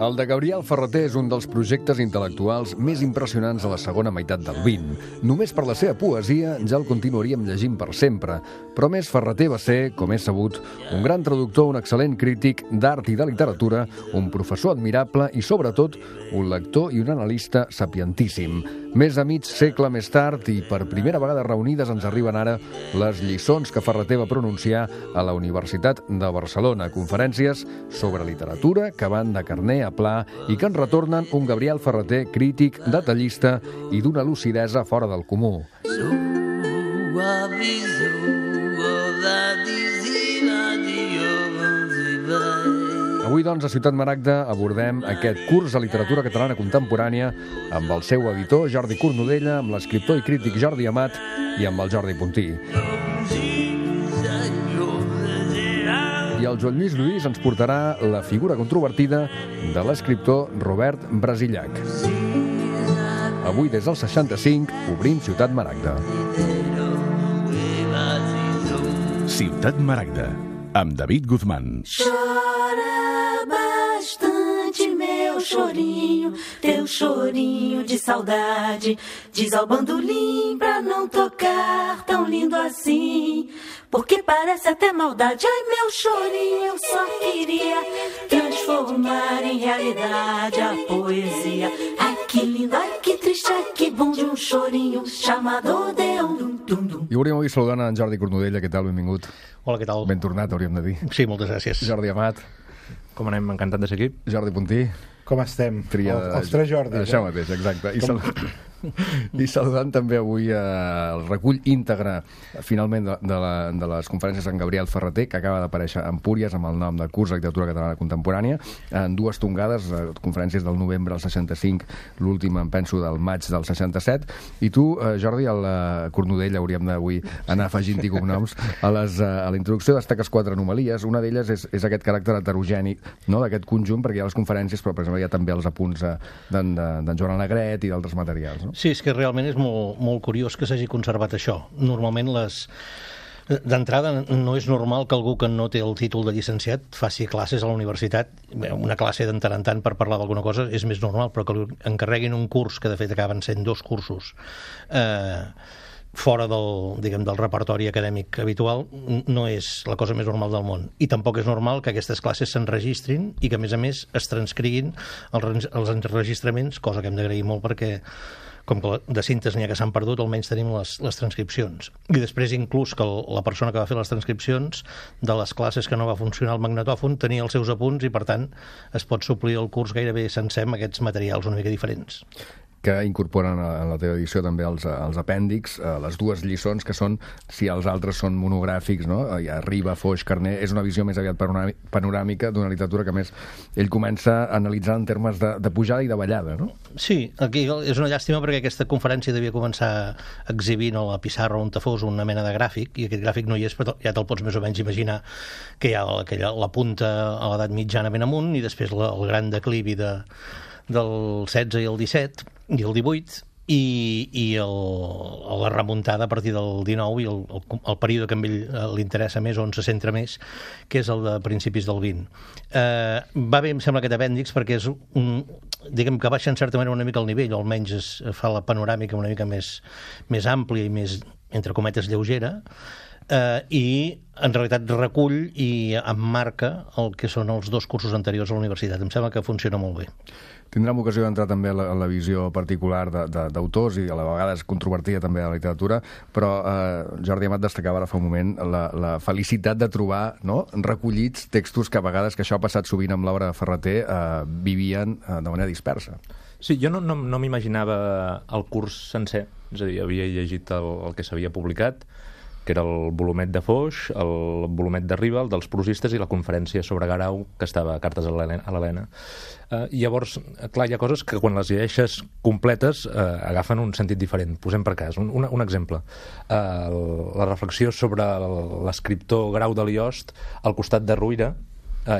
El de Gabriel Ferrater és un dels projectes intel·lectuals més impressionants de la segona meitat del XX. Només per la seva poesia ja el continuaríem llegint per sempre. Però més, Ferrater va ser, com és sabut, un gran traductor, un excel·lent crític d'art i de literatura, un professor admirable i, sobretot, un lector i un analista sapientíssim. Més de mig segle més tard i per primera vegada reunides ens arriben ara les lliçons que Ferrater va pronunciar a la Universitat de Barcelona. Conferències sobre literatura que van de carner a pla i que ens retornen un Gabriel Ferrater crític, detallista i d'una lucidesa fora del comú. Avui, doncs, a Ciutat Maragda abordem aquest curs de literatura catalana contemporània amb el seu editor, Jordi Cornudella, amb l'escriptor i crític Jordi Amat i amb el Jordi Puntí. I el Joan Lluís ens portarà la figura controvertida de l'escriptor Robert Brasillach. Avui, des del 65, obrim Ciutat Maragda. Ciutat Maragda, amb David Guzmán. Chora bastante, meu chorinho, teu chorinho de saudade. Diz ao bandolim pra não tocar tão lindo assim, porque parece até maldade. Ai, meu chorinho, eu só queria transformar em realidade a poesia. Ai, que lindo, ai, que triste, ai, que bom de um chorinho chamado Deum. I hauríem avui saludant en Jordi Cornudella. Què tal? Benvingut. Hola, què tal? Ben tornat, hauríem de dir. Sí, moltes gràcies. Jordi Amat. Com anem? Encantat de ser aquí. Jordi Puntí. Com estem? Els tres Jordis. Això mateix, exacte. I saludant també avui el recull íntegre, finalment, de les conferències d'en Gabriel Ferrater, que acaba d'aparèixer a Empúries amb el nom de Curs de Literatura Catalana Contemporània, en dues tongades, conferències del novembre del 65, l'última, em penso, del maig del 67. I tu, Jordi, al Cornudella, hauríem d'avui anar afegint-hi cognoms. A la introducció destaques 4 anomalies. Una d'elles és aquest caràcter heterogeni, no?, d'aquest conjunt, perquè hi ha les conferències, però, per exemple, hi ha també els apunts d'en Joan Alegret i d'altres materials, no? Sí, és que realment és molt curiós que s'hagi conservat això. Normalment d'entrada no és normal que algú que no té el títol de llicenciat faci classes a la universitat. Una classe de tant en tant per parlar d'alguna cosa és més normal, però que encarreguin un curs, que de fet acaben sent 2 cursos, fora del repertori acadèmic habitual, no és la cosa més normal del món. I tampoc és normal que aquestes classes s'enregistrin i que, a més, es transcriguin els enregistraments, cosa que hem d'agrair molt perquè, com que de cintes n'hi ha que s'han perdut, almenys tenim les transcripcions. I després, inclús, que la persona que va fer les transcripcions de les classes que no va funcionar el magnetòfon tenia els seus apunts i, per tant, es pot suplir el curs gairebé sencer amb aquests materials una mica diferents. Que incorporen en la teva edició també els apèndix, les 2 lliçons que són, si els altres són monogràfics, no? Riba, Foix, Carner, és una visió més aviat panoràmica d'una literatura que, més, ell comença a analitzar en termes de pujada i de ballada, no? Sí, aquí és una llàstima perquè aquesta conferència devia començar exhibint a la pissarra on fos una mena de gràfic, i aquest gràfic no hi és, però ja te'l pots més o menys imaginar, que hi ha la punta a l'edat mitjana ben amunt i després el gran declivi del 16 i el 17 i el 18 i la remuntada a partir del 19 i el període que a ell li interessa més, on se centra més, que és el de principis del 20. Va bé, em sembla, aquest apèndix perquè és diguem que baixa en certa manera una mica el nivell, o almenys es fa la panoràmica una mica més àmplia i més, entre cometes, lleugera, i en realitat recull i emmarca el que són els 2 cursos anteriors a la universitat. Em sembla que funciona molt bé. Tindrem ocasió d'entrar també en la visió particular d'autors i a la vegada controvertida també de la literatura, però Jordi Amat destacava ara fa un moment la felicitat de trobar, no?, recollits textos que a vegades, que això ha passat sovint amb l'obra de Ferrater, vivien de manera dispersa. Sí, jo no m'imaginava el curs sencer, és a dir, havia llegit el que s'havia publicat, que era el volumet de Foix, el volumet de Riba, el dels prosistes i la conferència sobre Garau, que estava a Cartes a l'Helena. I llavors, clar, hi ha coses que quan les llegeixes completes agafen un sentit diferent. Posem per cas un exemple. La reflexió sobre l'escriptor Grau de Liost al costat de Ruïra,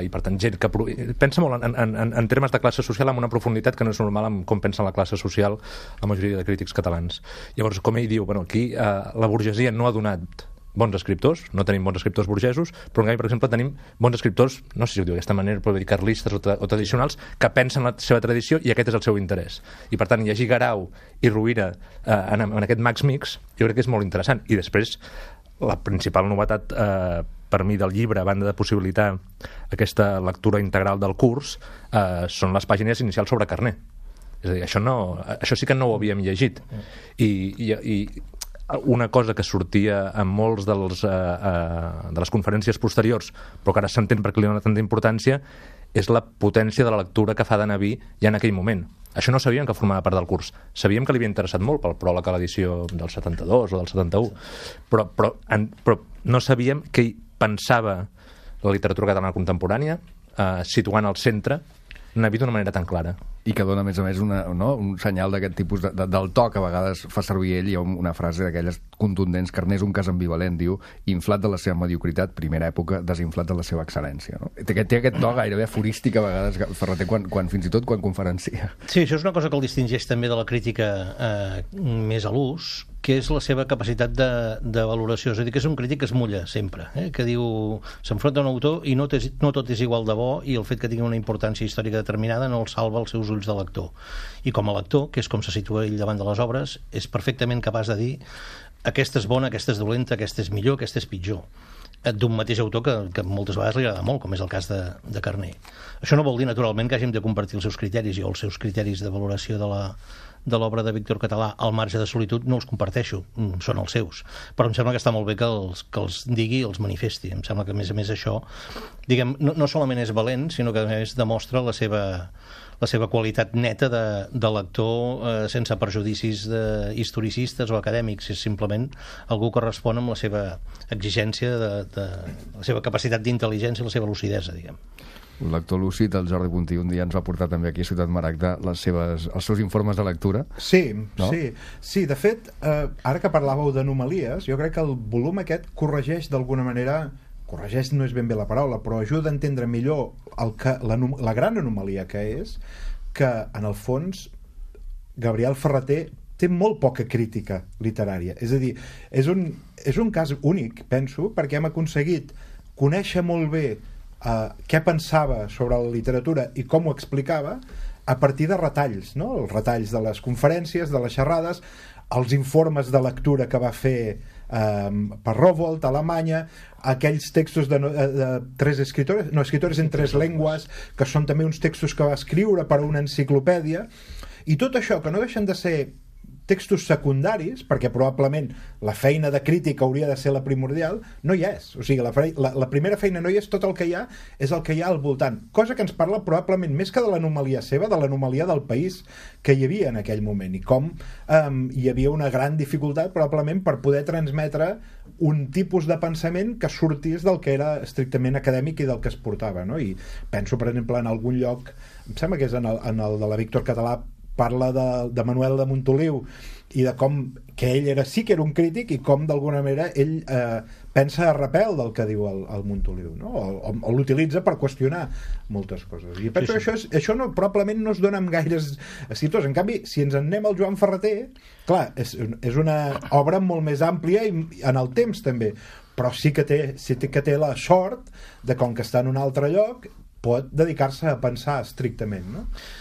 i per tant gent que pensa molt en termes de classe social amb una profunditat que no és normal en com pensa la classe social la majoria de crítics catalans. Llavors, com ell diu, aquí la burgesia no ha donat bons escriptors, no tenim bons escriptors burgesos, però en canvi, per exemple, tenim bons escriptors, no sé si ho diu d'aquesta manera, però dir carlistes o tradicionals, que pensen la seva tradició i aquest és el seu interès. I per tant, llegir Guerau i Rovira en aquest Max Mix, jo crec que és molt interessant. I després, la principal novetat per mi del llibre, a banda de possibilitar aquesta lectura integral del curs, són les pàgines inicials sobre Carner. És a dir, això sí que no ho havíem llegit. I una cosa que sortia en molts de les conferències posteriors, però que ara s'entén perquè li dona tanta importància, és la potència de la lectura que fa de Naví ja en aquell moment. Això no sabíem que formava part del curs. Sabíem que li havia interessat molt pel pròleg a l'edició del 72 o del 71, però no sabíem què pensava la literatura catalana contemporània, situant al centre Naví d'una manera tan clara. I que dona, a més, un senyal d'aquest tipus del to que a vegades fa servir ell. Hi ha una frase d'aquelles contundents: Carner és un cas ambivalent, diu, inflat de la seva mediocritat, primera època, desinflat de la seva excel·lència. No? Té aquest to gairebé aforístic a vegades, Ferreter, fins i tot quan conferencia. Sí, això és una cosa que el distingeix també de la crítica més a l'ús, que és la seva capacitat de valoració. És a dir, que és un crític que es mulla sempre, que diu, s'enfronta a un autor i no tot és igual de bo, i el fet que tingui una importància històrica determinada no el salva els seus ulls de lector. I com a lector, que és com se situa ell davant de les obres, és perfectament capaç de dir aquesta és bona, aquesta és dolenta, aquesta és millor, aquesta és pitjor, d'un mateix autor que moltes vegades li agrada molt, com és el cas de Carner. Això no vol dir, naturalment, que hàgim de compartir els seus criteris. Jo els seus criteris de valoració de l'obra de Víctor Català, Al marge de solitud, no els comparteixo, són els seus, però em sembla que està molt bé que els digui, els manifesti. Em sembla que, a més això, diguem, no solament és valent, sinó que a més demostra la seva qualitat neta de lector, sense perjudicis historicistes o acadèmics. És simplement algú que respon amb la seva exigència, la seva capacitat d'intel·ligència i la seva lucidesa, diguem. Un lector lúcid, el Jordi Puntí, un dia ens va portar també aquí a Ciutat Maragda els seus informes de lectura. Sí, no? Sí, de fet, ara que parlàveu d'anomalies, jo crec que el volum aquest corregeix d'alguna manera, corregeix no és ben bé la paraula, però ajuda a entendre millor la gran anomalia que és que, en el fons, Gabriel Ferreter té molt poca crítica literària. És a dir, és un cas únic, penso, perquè hem aconseguit conèixer molt bé què pensava sobre la literatura i com ho explicava a partir de retalls, no? Els retalls de les conferències, de les xerrades, els informes de lectura que va fer per Rowohlt a Alemanya, aquells textos de tres escritores en tres llengües, que són també uns textos que va escriure per a una enciclopèdia, i tot això, que no deixen de ser textos secundaris, perquè probablement la feina de crítica hauria de ser la primordial, no hi és. O sigui, la primera feina no hi és, tot el que hi ha és el que hi ha al voltant. Cosa que ens parla probablement més que de l'anomalia seva, de l'anomalia del país que hi havia en aquell moment, i com hi havia una gran dificultat probablement per poder transmetre un tipus de pensament que sortís del que era estrictament acadèmic i del que es portava, no? I penso, per exemple, en algun lloc, em sembla que és en el de la Víctor Català, parla de Manuel de Montoliu i de com que ell sí que era un crític i com d'alguna manera ell pensa a repel del que diu el Montoliu, no? o l'utilitza per qüestionar moltes coses. I penso que això probablement no es dona amb gaires escriptors. En canvi, si ens en anem al Joan Ferreter, clar, és una obra molt més àmplia i en el temps també, però sí que té la sort de, com que està en un altre lloc, pot dedicar-se a pensar estrictament, no?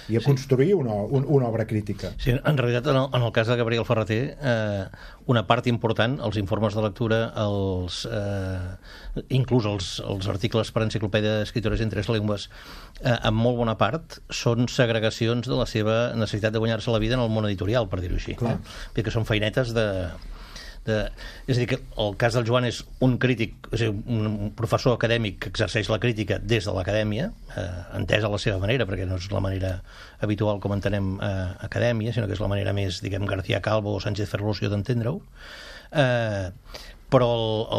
I a construir una obra crítica. Sí, en realitat, en el cas de Gabriel Ferreter, una part important, els informes de lectura, inclús els articles per enciclopèdia d'escriptores en tres llengües, en molt bona part, són segregacions de la seva necessitat de guanyar-se la vida en el món editorial, per dir-ho així. Perquè són feinetes és a dir, que el cas del Joan és un crític, és a dir, un professor acadèmic que exerceix la crítica des de l'acadèmia, entesa a la seva manera, perquè no és la manera habitual com entenem acadèmia, sinó que és la manera més, diguem, García Calvo o Sánchez Ferlosio d'entendre-ho, però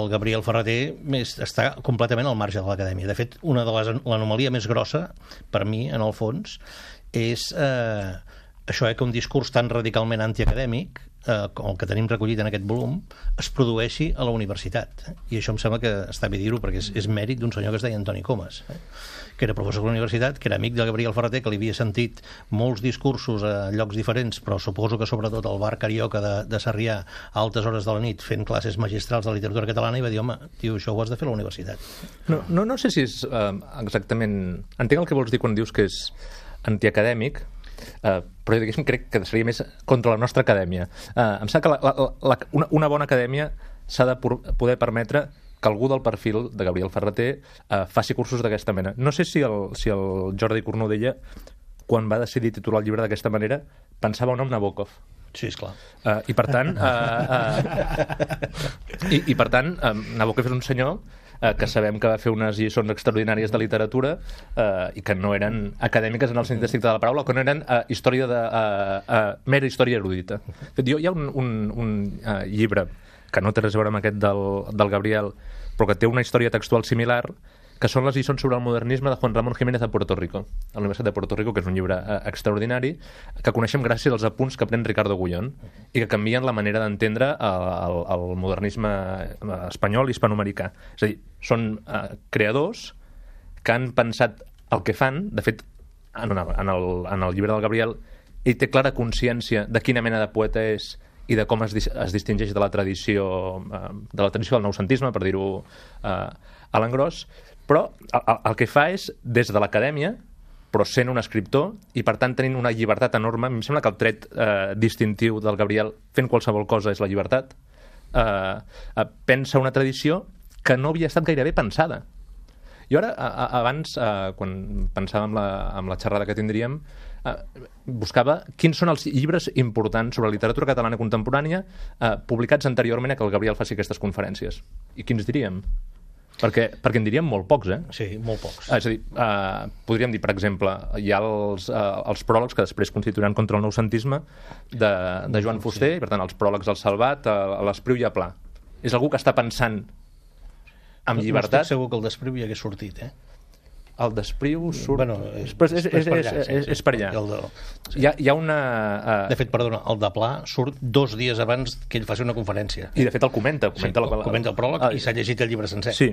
el Gabriel Ferreter està completament al marge de l'acadèmia. De fet, l'anomalia més grossa, per mi, en el fons, és això que un discurs tan radicalment antiacadèmic, com el que tenim recollit en aquest volum, es produeixi a la universitat. I això em sembla que està bé dir-ho, perquè és mèrit d'un senyor que es deia Antoni Comas, que era professor de la universitat, que era amic de Gabriel Ferrater, que li havia sentit molts discursos a llocs diferents, però suposo que sobretot al bar Carioca de Sarrià a altes hores de la nit fent classes magistrals de literatura catalana, i va dir, home, tio, això ho has de fer a la universitat. No sé si és exactament... Entenc el que vols dir quan dius que és antiacadèmic, però diguéssim crec que seria més contra la nostra acadèmia. Em sembla que una bona acadèmia s'ha de poder permetre que algú del perfil de Gabriel Ferrater faci cursos d'aquesta mena. No sé si el Jordi Cornudella, quan va decidir titular el llibre d'aquesta manera, pensava o no en Nabokov. Sí, esclar. I per tant, Nabokov és un senyor que sabem que va fer unes lliçons extraordinàries de literatura i que no eren acadèmiques en el sentit estricte de la paraula, que no eren mera història erudita. Hi ha un llibre que no té res a veure amb aquest del Gabriel, però que té una història textual similar, que són les lliçons sobre el modernisme de Juan Ramón Jiménez de Puerto Rico, a la Universitat de Puerto Rico, que és un llibre extraordinari, que coneixem gràcies als apunts que pren Ricardo Gullón i que canvien la manera d'entendre el modernisme espanyol i hispanoamericà. És a dir, són creadors que han pensat el que fan. De fet, en el llibre del Gabriel, ell té clara consciència de quina mena de poeta és i de com es distingeix de la tradició del noucentisme, per dir-ho a l'engròs, però el que fa és, des de l'acadèmia, però sent un escriptor i per tant tenint una llibertat enorme. Em sembla que el tret distintiu del Gabriel fent qualsevol cosa és la llibertat. Pensa una tradició que no havia estat gairebé pensada. Jo ara, abans, quan pensava en la xerrada que tindríem, buscava quins són els llibres importants sobre literatura catalana contemporània publicats anteriorment a que el Gabriel faci aquestes conferències. I quins diríem? Perquè en diríem molt pocs, Sí, molt pocs. És a dir, podríem dir, per exemple, hi ha els pròlegs que després constituiran contra el noucentisme de Joan Fuster, i per tant els pròlegs al Salvat, a l'Espriu i a Pla. És algú que està pensant amb llibertat. No estic segur que el d'Espriu hi hagués sortit, El d'Espriu surt... Bueno, és per allà. Hi ha una... De fet, perdona, el de Pla surt 2 dies abans que ell faci una conferència. I de fet el comenta. Comenta el pròleg i s'ha llegit el llibre sencer. Sí.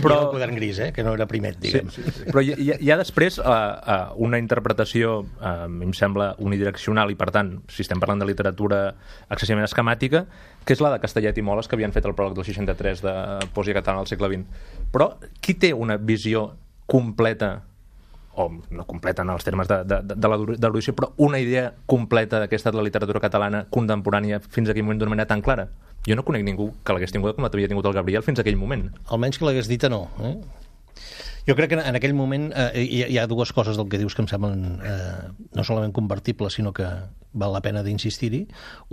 Però el quadern gris, que no era primet, diguem. Sí. Però hi ha després una interpretació, a mi em sembla, unidireccional i, per tant, si estem parlant de literatura excessivament esquemàtica, que és la de Castellet i Moles, que havien fet el pròleg del 63 de Poesia catalana al segle XX. Però qui té una visió completa, o no completa en els termes de l'erudició, però una idea completa d'aquesta de la literatura catalana contemporània fins a aquell moment d'una manera tan clara? Jo no conec ningú que l'hagués tingut com l'havia tingut el Gabriel fins a aquell moment. Almenys que l'hagués dita, no. Jo crec que en aquell moment hi ha 2 coses del que dius que em semblen no solament convertibles, sinó que val la pena d'insistir-hi.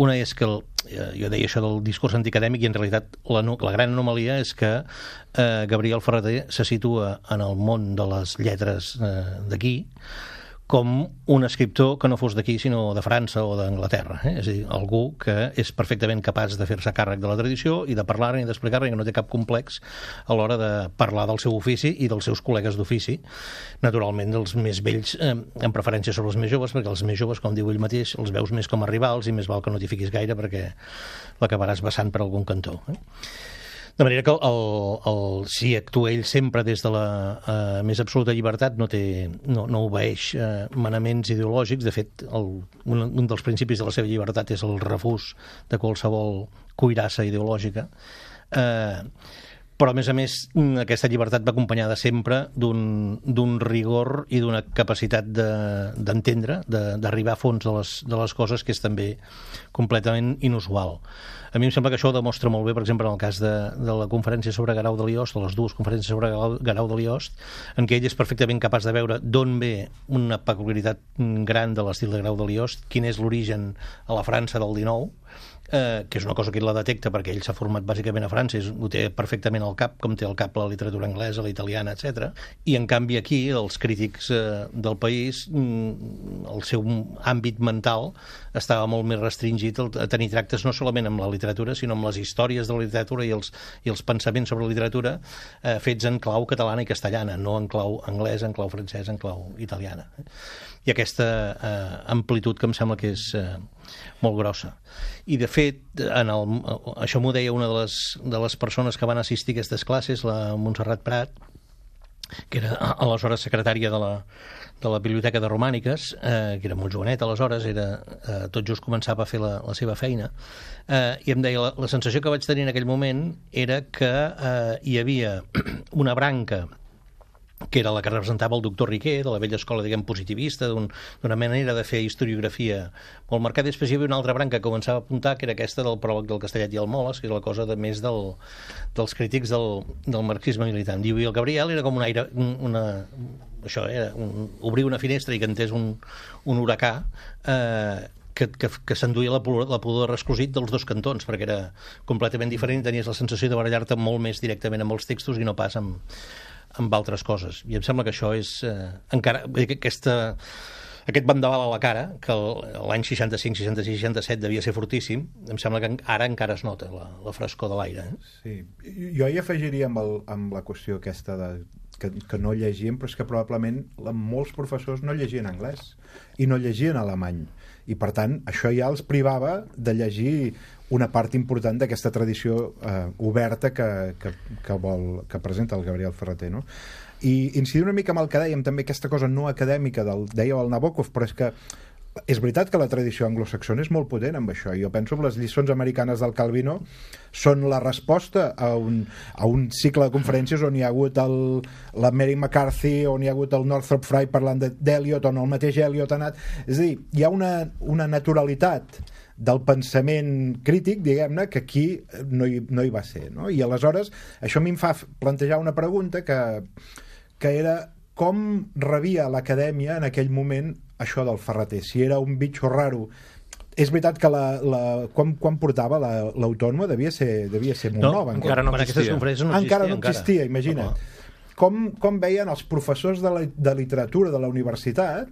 Una és que, jo deia això del discurs antiacadèmic, i en realitat la gran anomalia és que Gabriel Ferrater se situa en el món de les lletres d'aquí com un escriptor que no fos d'aquí sinó de França o d'Anglaterra. És a dir, algú que és perfectament capaç de fer-se càrrec de la tradició i de parlar-ne i d'explicar-ne, i que no té cap complex a l'hora de parlar del seu ofici i dels seus col·legues d'ofici, naturalment dels més vells, en preferència sobre els més joves, perquè els més joves, com diu ell mateix, els veus més com a rivals i més val que no t'hi fiquis gaire perquè l'acabaràs vessant per algun cantó. De manera que si actua ell sempre des de la més absoluta llibertat, no obeeix manaments ideològics. De fet, un dels principis de la seva llibertat és el refús de qualsevol cuirassa ideològica. Però, a més, aquesta llibertat va acompanyada sempre d'un rigor i d'una capacitat d'entendre, d'arribar a fons de les coses, que és també completament inusual. A mi em sembla que això ho demostra molt bé, per exemple, en el cas de la conferència sobre Guerau de Liost, o les 2 conferències sobre Guerau de Liost, en què ell és perfectament capaç de veure d'on ve una peculiaritat gran de l'estil de Guerau de Liost, quin és l'origen a la França del XIX, que és una cosa que ell la detecta perquè ell s'ha format bàsicament a França, ho té perfectament al cap, com té al cap la literatura anglesa, la italiana, etc. I en canvi aquí els crítics del país, el seu àmbit mental estava molt més restringit a tenir tractes no solament amb la literatura, sinó amb les històries de la literatura i els pensaments sobre la literatura fets en clau catalana i castellana, no en clau anglesa, en clau francesa, en clau italiana. I aquesta amplitud que em sembla que és molt grossa. I de fet, això m'ho deia una de les persones que van assistir a aquestes classes, la Montserrat Prat, que era aleshores secretària de la Biblioteca de Romàniques, que era molt jovenet aleshores, tot just començava a fer la seva feina, i em deia, la sensació que vaig tenir en aquell moment era que hi havia una branca que era la que representava el doctor Riquer, de la vella escola, diguem, positivista, d'una manera de fer historiografia molt marcada. Després hi havia una altra branca que començava a apuntar, que era aquesta del pròleg del Castellet i el Moles, que és la cosa de més dels crítics del marxisme militant. I el Gabriel era com un aire... això era obrir una finestra i que entés un huracà que s'enduia la pudor esclosit dels dos cantons, perquè era completament diferent i tenies la sensació de barallar-te molt més directament amb els textos i no pas amb altres coses. I em sembla que això és encara... Aquest vendaval a la cara, que l'any 65, 66, 67 devia ser fortíssim, em sembla que ara encara es nota la frescor de l'aire. Sí. Jo hi afegiria amb la qüestió aquesta que no llegien, però és que probablement molts professors no llegien anglès i no llegien alemany. I per tant, això ja els privava de llegir una part important d'aquesta tradició oberta que presenta el Gabriel Ferrater, no? I incidir una mica amb el que dèiem, també aquesta cosa no acadèmica deia el Nabokov, però és que és veritat que la tradició anglosaxona és molt potent amb això. Jo penso que les lliçons americanes del Calvino són la resposta a un cicle de conferències on hi ha hagut la Mary McCarthy, on hi ha hagut el Northrop Frye parlant d'Eliot, on el mateix Eliot ha anat... És a dir, hi ha una naturalitat del pensament crític, diguem-ne, que aquí no hi va ser, no? I aleshores això a mi em fa plantejar una pregunta que era com rebia l'acadèmia en aquell moment això del Ferrater, si era un bitxo raro. És veritat que quan portava l'Autònoma devia ser molt nova. Encara no existia. Encara no existia, imagina't. Com veien els professors de literatura de la universitat,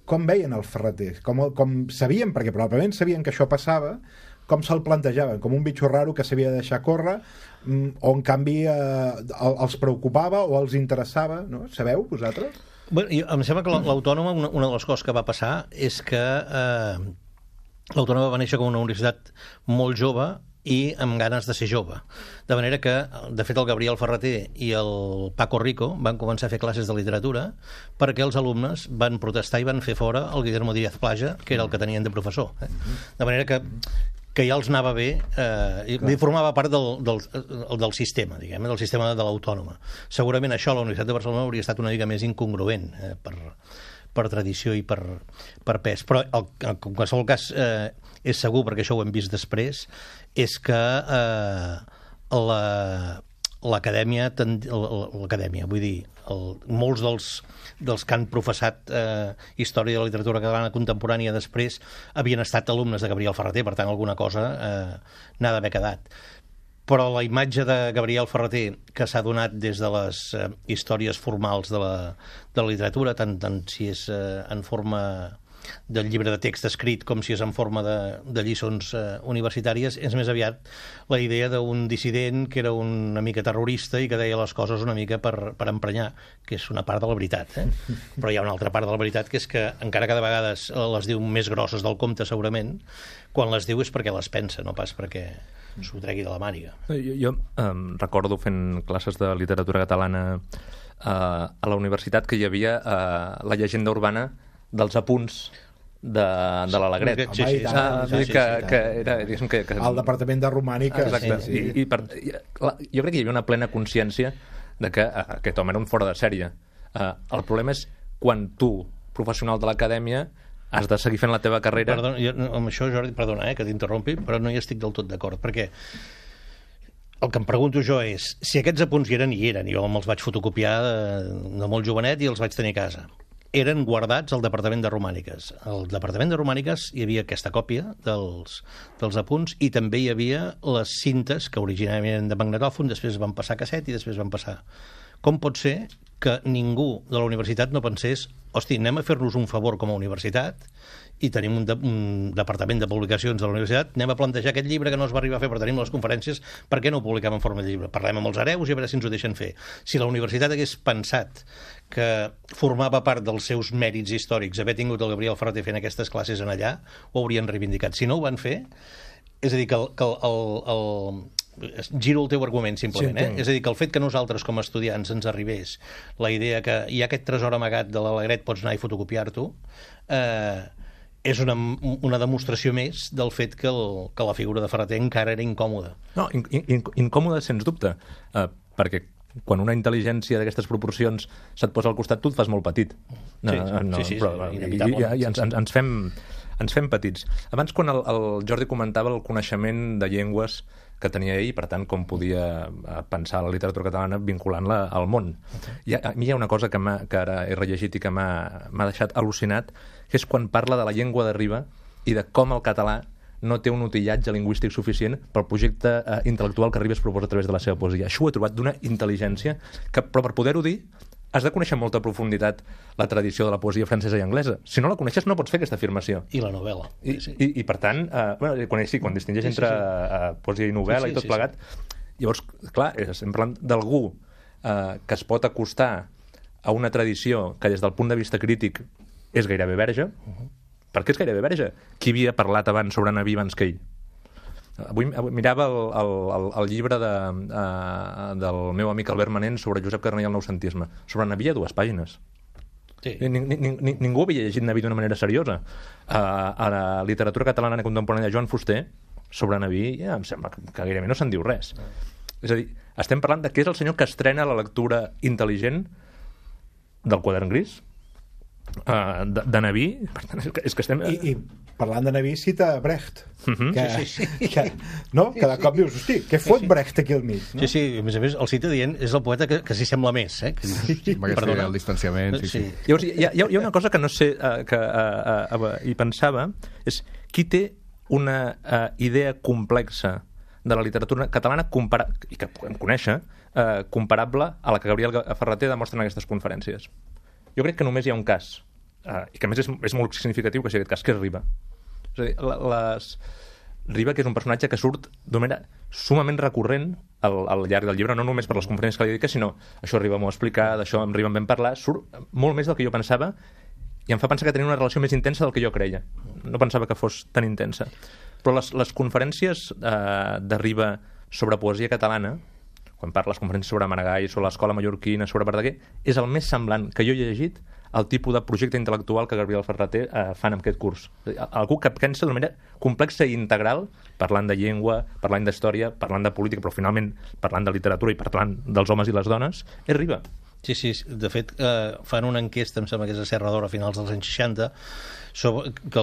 com veien el Ferrater? Com sabien, perquè probablement sabien que això passava, com se'l plantejaven? Com un bitxo raro que s'havia de deixar córrer, o en canvi els preocupava o els interessava, no? Sabeu, vosaltres? Bueno, em sembla que l'Autònoma, una de les coses que va passar és que l'Autònoma va néixer com una universitat molt jove i amb ganes de ser jove. De manera que, de fet, el Gabriel Ferrater i el Paco Rico van començar a fer classes de literatura perquè els alumnes van protestar i van fer fora el Guillermo Díaz Plaja, que era el que tenien de professor. De manera que ja els anava bé, i formava part del sistema, diguem, del sistema de l'Autònoma. Segurament això a la Universitat de Barcelona hauria estat una mica més incongruent per tradició i per pes. Però en qualsevol cas és segur, perquè això ho hem vist després, és que l'acadèmia, vull dir, molts dels que han professat història de la literatura catalana contemporània després havien estat alumnes de Gabriel Ferrater, per tant alguna cosa n'ha d'haver quedat. Però la imatge de Gabriel Ferrater que s'ha donat des de les històries formals de la literatura, tant si és en forma del llibre de text escrit com si és en forma de lliçons universitàries, és més aviat la idea d'un dissident que era una mica terrorista i que deia les coses una mica per emprenyar, que és una part de la veritat. Però hi ha una altra part de la veritat, que és que encara que de vegades les diu més grosses del compte, segurament, quan les diu és perquè les pensa, no pas perquè s'ho tregui de la màniga. Jo recordo fent classes de literatura catalana a la universitat que hi havia la llegenda urbana dels apunts de l'Alegret. Sí. Que era... El departament de romànica. Exacte. Sí. Jo crec que hi havia una plena consciència de que aquest home era un fora de sèrie. El problema és quan tu, professional de l'acadèmia, has de seguir fent la teva carrera... Amb això, Jordi, perdona que t'interrompi, però no hi estic del tot d'acord, perquè el que em pregunto jo és si aquests apunts hi eren, jo me'ls vaig fotocopiar de molt jovenet i els vaig tenir a casa. eren guardats al Departament de Romàniques. Al Departament de Romàniques hi havia aquesta còpia dels apunts i també hi havia les cintes que originàriament eren de magnetòfon, després van passar a casset i després van passar. Com pot ser que ningú de la universitat no pensés hosti, anem a fer-nos un favor com a universitat i tenim un departament de publicacions de la universitat, anem a plantejar aquest llibre que no es va arribar a fer, però tenim les conferències, per què no ho publiquem en forma de llibre? Parlem amb els hereus i a veure si ens ho deixen fer. Si la universitat hagués pensat que formava part dels seus mèrits històrics haver tingut el Gabriel Ferrater fent aquestes classes en allà, ho haurien reivindicat. Si no ho van fer, és a dir, giro el teu argument, simplement. Sí, És a dir, que el fet que nosaltres, com a estudiants, ens arribés la idea que hi ha aquest tresor amagat de l'Alegret, pots anar i fotocopiar-t'ho, és una demostració més del fet que la figura de Ferrater encara era incòmoda. No, incòmoda, sens dubte, perquè quan una intel·ligència d'aquestes proporcions se't posa al costat, tu et fas molt petit. Sí, però, i ens fem petits. Abans, quan el Jordi comentava el coneixement de llengües que tenia ell, per tant, com podia pensar la literatura catalana vinculant-la al món. A mi hi ha una cosa que ara he rellegit i que m'ha deixat al·lucinat, que és quan parla de la llengua de Riba i de com el català no té un utillatge lingüístic suficient pel projecte intel·lectual que Ribes proposa a través de la seva poesia. Això ho he trobat d'una intel·ligència que, però per poder-ho dir, has de conèixer amb molta profunditat la tradició de la poesia francesa i anglesa. Si no la coneixes, no pots fer aquesta afirmació. I la novel·la. I per tant, quan distingeix entre poesia i novel·la i tot plegat, llavors, clar, estem parlant d'algú que es pot acostar a una tradició que des del punt de vista crític és gairebé verge. Per què és gairebé verge? Qui havia parlat abans sobre Naví abans que ell? Avui mirava el llibre del meu amic Albert Manent sobre Josep Carner i el noucentisme. Sobre Naví hi ha 2 pàgines. Sí. Ningú havia llegit Naví d'una manera seriosa. A la literatura catalana contemporània de Joan Fuster, sobre Naví, em sembla que gairebé no se'n diu res. És a dir, estem parlant de què és el senyor que estrena la lectura intel·ligent del Quadern Gris, de Naví. Per tant, és que estem... I parlant de Naví, cita Brecht. Que de cop dius, hosti, què fot Brecht aquí al mig? No? Sí, a més, el cita dient, és el poeta que s'hi sembla més. Amb aquesta idea del distanciament. Llavors, hi ha una cosa que no sé, que hi pensava, és qui té una idea complexa de la literatura catalana i que podem conèixer, comparable a la que Gabriel Ferrater demostra en aquestes conferències. Jo crec que només hi ha un cas, i que a més és molt significatiu que sigui aquest cas, que és Riba. És a dir, Riba, que és un personatge que surt d'una manera sumament recurrent al llarg del llibre, no només per les conferències que li dedica, sinó això Riba m'ho ha explicat, això amb Riba en vam parlar, surt molt més del que jo pensava i em fa pensar que tenia una relació més intensa del que jo creia. No pensava que fos tan intensa. Però les conferències de Riba sobre poesia catalana, quan parla les conferències sobre Maragall, sobre l'escola mallorquina, sobre Verdaguer, és el més semblant que jo he llegit al tipus de projecte intel·lectual que Gabriel Ferrater fan en aquest curs. Algú que pensa d'una manera complexa i integral, parlant de llengua, parlant d'història, parlant de política, però finalment parlant de literatura i parlant dels homes i les dones, és Riba. Sí, de fet, fan una enquesta, em sembla que és a Serra d'Or a finals dels anys 60, sobre que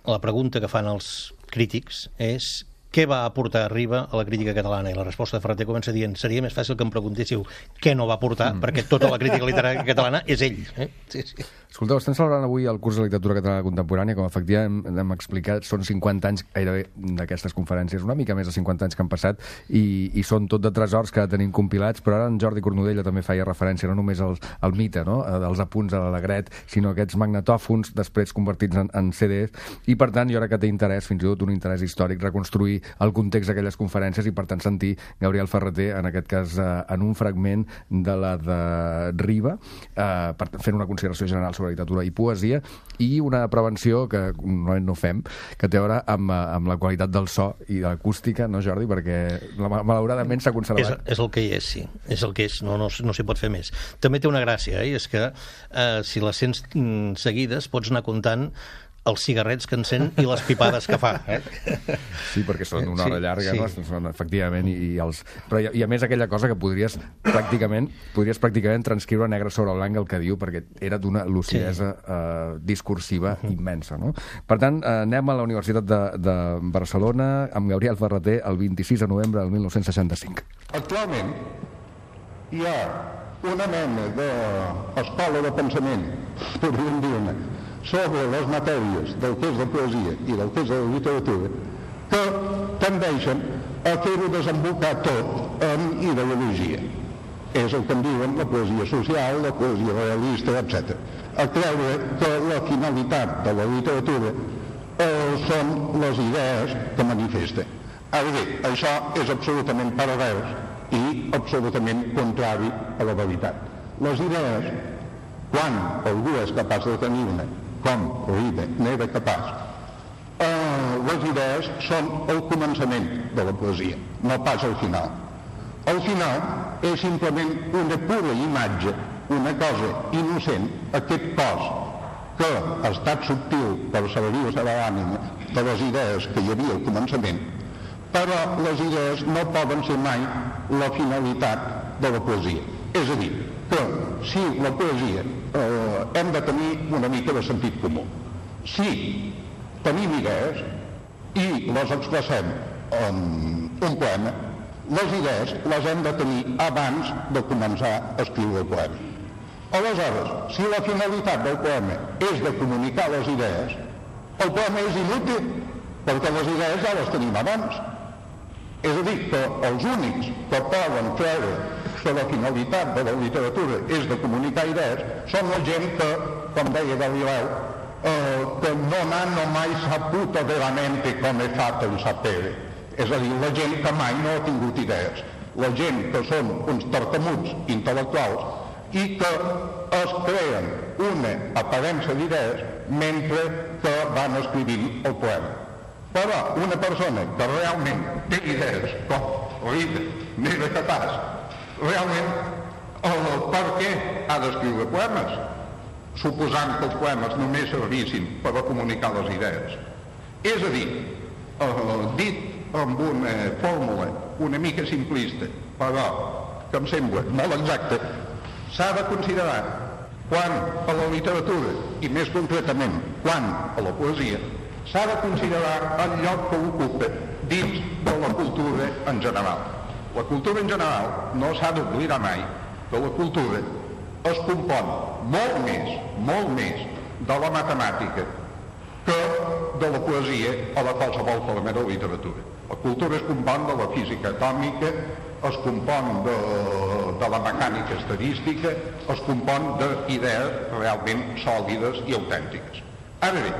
la pregunta que fan els crítics és què va aportar Riba a la crítica catalana? I la resposta de Ferrater comença dient seria més fàcil que em preguntéssiu què no va aportar, perquè tota la crítica literària catalana és ell. Sí. Escolteu, estem celebrant avui el curs de literatura catalana contemporània, com efectivament hem explicat, són 50 anys gairebé d'aquestes conferències, una mica més de 50 anys que han passat, i són tot de tresors que tenim compilats, però ara en Jordi Cornudella també feia referència no només al mite, no? Dels apunts de l'Alegret, sinó aquests magnetòfons després convertits en CDs, i per tant jo crec que té interès, fins i tot un interès històric, reconstruir el context d'aquelles conferències i per tant sentir Gabriel Ferrater, en aquest cas en un fragment de la de Riba, fent una consideració general sobre literatura i poesia, i una prevenció que normalment no fem, que té a veure amb la qualitat del so i de l'acústica, no, Jordi? Perquè malauradament s'ha conservat. És el que hi és, sí. És el que és, no s'hi pot fer més. També té una gràcia, i és que si les sents seguides pots anar comptant els cigarrets que encén i les pipades que fa. Sí, perquè són una hora llarga, no? Són, efectivament, però a més aquella cosa que podries pràcticament transcriure negre sobre blanc el que diu, perquè era d'una lucidesa discursiva immensa, no? Per tant, anem a la Universitat de Barcelona amb Gabriel Ferrater el 26 de novembre del 1965. Actualment hi ha una mena d'escola de pensament, podríem dir-ne, sobre les matèries del que és la poesia i del que és la literatura, que tendeixen a fer-ho desembocar tot en ideologia. És el que en diuen la poesia social, la poesia realista, etc. A creure que la finalitat de la literatura són les idees que manifesta. Ara bé, això és absolutament pervers i absolutament contrari a la veritat. Les idees, quan algú és capaç de tenir-ne, com Oribe n'era capaç, les idees són el començament de la poesia, no pas el final. El final és simplement una pura imatge, una cosa innocent, aquest cos que ha estat subtil per servir-se de l'ànima de les idees que hi havia al començament, però les idees no poden ser mai la finalitat de la poesia. És a dir, que si la poesia hem de tenir una mica de sentit comú. Si tenim idees i les expressem en un poema, les idees les hem de tenir abans de començar a escriure el poema. Aleshores, si la finalitat del poema és de comunicar les idees, el poema és inútil, perquè les idees ja les tenim abans. És a dir, que els únics que poden creure que la finalitat de la literatura és de comunicar idees són la gent que, com deia Galileu, que non hanno mai saputo veramente come è fatto il sapere. És a dir, la gent que mai no ha tingut idees, la gent que són uns tartamuts intel·lectuals i que es creen una aparença d'idees mentre que van escrivint el poema. Però una persona que realment té idees, com Oribe n'era capaç, realment per què ha d'escriure poemes? Suposant que els poemes només servissin per a comunicar les idees. És a dir, dit amb una fórmula una mica simplista, però que em sembla molt exacta, s'ha de considerar quan a la literatura, i més concretament quan a la poesia, s'ha de considerar el lloc que ocupa dins de la cultura en general. La cultura en general no s'ha d'oblidar mai que la cultura es compon molt més de la matemàtica que de la poesia o de qualsevol forma de literatura. La cultura es compon de la física atòmica, es compon de la mecànica estadística, es compon d'idees realment sòlides i autèntiques. Ara bé,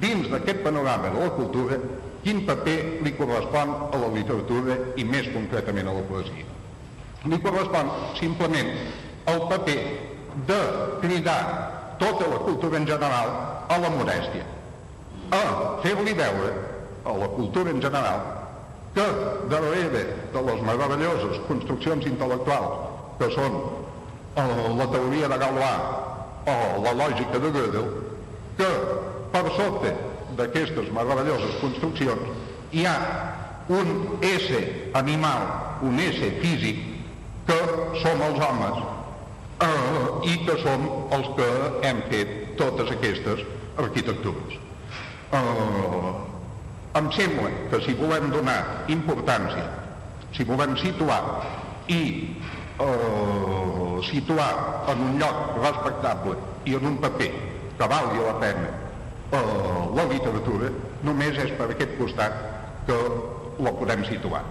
dins d'aquest panorama de la cultura, quin paper li correspon a la literatura i més concretament a la poesia? Li correspon simplement el paper de cridar tota la cultura en general a la modèstia, a fer-li veure a la cultura en general que darrere de les meravelloses construccions intel·lectuals que són la teoria de Galois o la lògica de Gödel, que per sota d'aquestes meravelloses construccions hi ha un ésser animal, un ésser físic, que som els homes i que som els que hem fet totes aquestes arquitectures. Em sembla que si volem donar importància, si volem situar i situar en un lloc respectable i en un paper que valgui la pena la literatura, només és per aquest costat que la podem situar.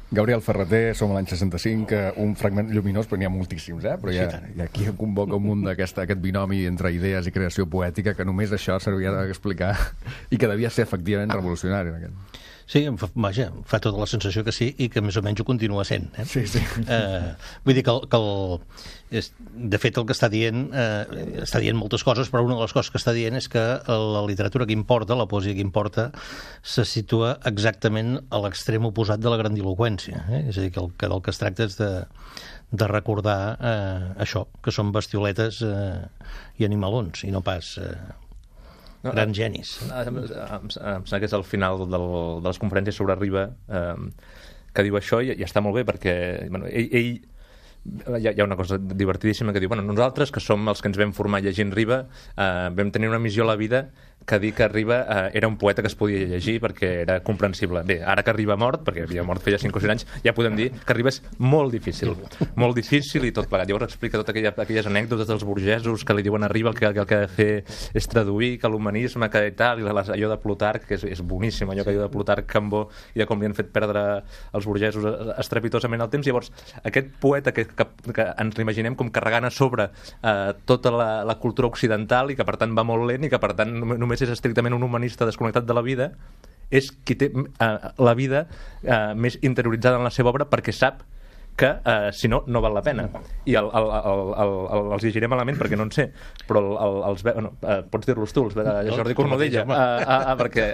Gabriel Ferrater, som a l'any 65, un fragment lluminós, però n'hi ha moltíssims, però hi ha aquí convoca un munt d'aquest binomi entre idees i creació poètica, que només això servia d'explicar i que devia ser efectivament revolucionari. Sí, vaja, fa tota la sensació que sí i que més o menys ho continua sent. Sí. Vull dir que de fet el que està dient moltes coses, però una de les coses que està dient és que la literatura que importa, la poesia que importa, se situa exactament a l'extrem oposat de la grandiloqüència. És a dir, que del que es tracta és de recordar això, que són bestioletes i animalons, i no pas grans genis. Em sembla que és al final de les conferències sobre Riba que diu això, i està molt bé perquè ell hi ha una cosa divertidíssima que diu, nosaltres que som els que ens vam formar llegint Riba vam tenir una missió a la vida que dir que Riba era un poeta que es podia llegir perquè era comprensible. Bé, ara que Riba ha mort, perquè havia mort feia 5 o 6 anys, ja podem dir que Riba és molt difícil i tot plegat. Llavors explica totes aquelles anècdotes dels burgesos que li diuen a Riba que el que ha de fer és traduir, que l'humanisme, que i tal, i allò de Plutarc, que és boníssim, allò que diu de Plutarc, Cambó, i de com li han fet perdre els burgesos estrepitosament el temps. Llavors, aquest poeta que ens l'imaginem com carregant a sobre tota la cultura occidental i que per tant va molt lent i que per tant només és estrictament un humanista desconnectat de la vida, és qui té la vida més interioritzada en la seva obra perquè sap que si no, no val la pena. I els llegiré malament perquè no en sé, però pots dir-los tu, Jordi Cornudella, perquè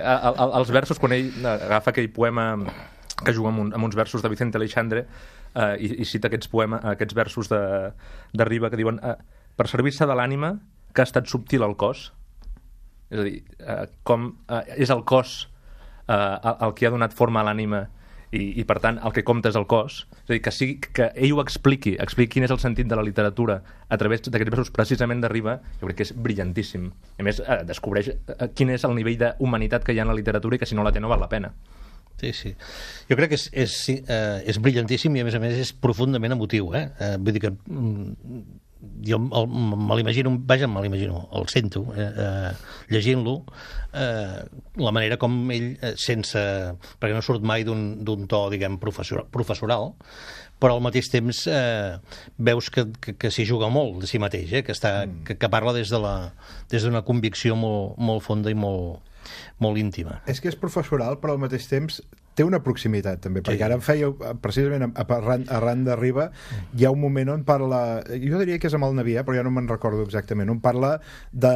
els versos, quan ell agafa aquell poema que juga amb uns versos de Vicente Aleixandre i cita aquests versos de Riba que diuen per servir-se de l'ànima que ha estat subtil al cos, és a dir, com és el cos el que ha donat forma a l'ànima i per tant el que compta és el cos, és a dir, que ell ho expliqui quin és el sentit de la literatura a través d'aquests versos precisament de Riba, jo crec que és brillantíssim. A més, descobreix quin és el nivell d'humanitat que hi ha en la literatura i que si no la té no val la pena. Sí. Jo crec que és brillantíssim i a més és profundament emotiu, vull dir que jo me l'imagino, el sento llegint-lo, la manera com ell perquè no surt mai d'un to, diguem, professoral, però al mateix temps veus que s'hi juga molt de si mateix, que parla des d'una convicció molt fonda i molt íntima. És que és professoral, però al mateix temps té una proximitat també, perquè ara em feia precisament arran de Riba hi ha un moment on parla, jo diria que és amb el Navià, però ja no me'n recordo exactament, on parla de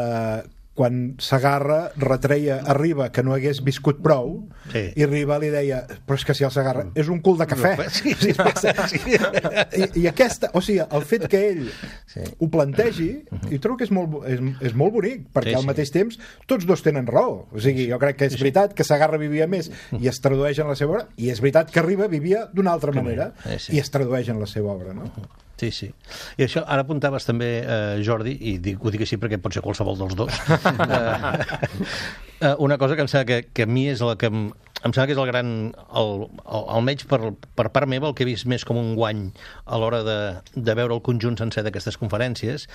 quan Segarra retreia a Riba que no hagués viscut prou, i Riba li deia, però és que si el Segarra és un cul de cafè. I aquesta, o sigui, el fet que ell ho plantegi, i trobo que és molt bonic, perquè al mateix temps tots dos tenen raó. O sigui, jo crec que és veritat que Segarra vivia més i es tradueix en la seva obra, i és veritat que Riba vivia d'una altra manera i es tradueix en la seva obra, no? Sí. I això, ara apuntaves també, Jordi, i ho dic així perquè pot ser qualsevol dels dos, una cosa que em sembla que a mi és la que em sembla que és el gran, almenys per part meva, el que he vist més com un guany a l'hora de veure el conjunt sencer d'aquestes conferències,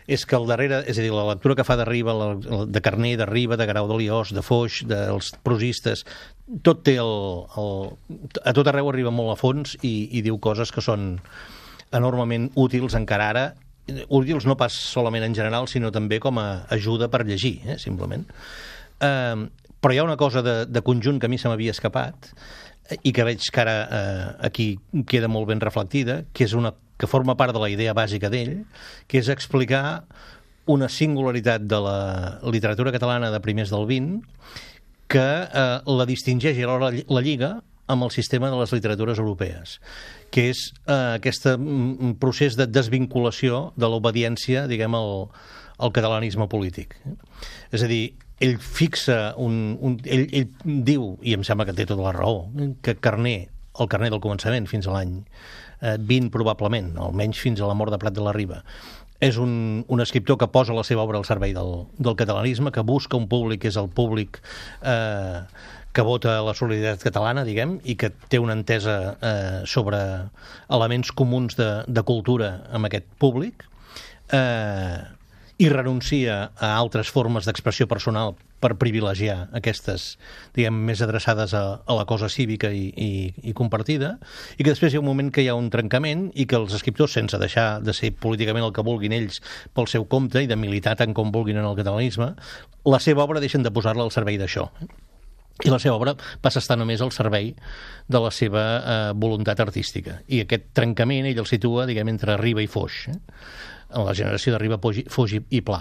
és que al darrere, és a dir, la lectura que fa de Riba, de Carner, de Riba, de Guerau de Liós, de Foix, dels prosistes, tot té a tot arreu arriba molt a fons i diu coses que són enormement útils encara ara, útils no pas solament en general, sinó també com a ajuda per llegir, simplement. Però hi ha una cosa de conjunt que a mi se m'havia escapat i que veig que ara aquí queda molt ben reflectida, que forma part de la idea bàsica d'ell, que és explicar una singularitat de la literatura catalana de primers del XX que la distingeix i alhora la lliga amb el sistema de les literatures europees, que és aquest procés de desvinculació de l'obediència, diguem, al catalanisme polític. És a dir, ell fixa ell diu, i em sembla que té tota la raó, que Carner, el Carner del començament fins a l'any 20 probablement, almenys fins a la mort de Prat de la Riba, és un escriptor que posa la seva obra al servei del catalanisme, que busca un públic que és el públic que vota la solidaritat catalana, diguem, i que té una entesa sobre elements comuns de cultura amb aquest públic, i renuncia a altres formes d'expressió personal per privilegiar aquestes, diguem, més adreçades a la cosa cívica i compartida, i que després hi ha un moment que hi ha un trencament i que els escriptors, sense deixar de ser políticament el que vulguin ells pel seu compte i de militar tant com vulguin en el catalanisme, la seva obra deixen de posar-la al servei d'això. I la seva obra passa a estar només al servei de la seva voluntat artística. I aquest trencament ell el situa, diguem, entre Riba i Foix, en la generació de Riba, Foix i Pla.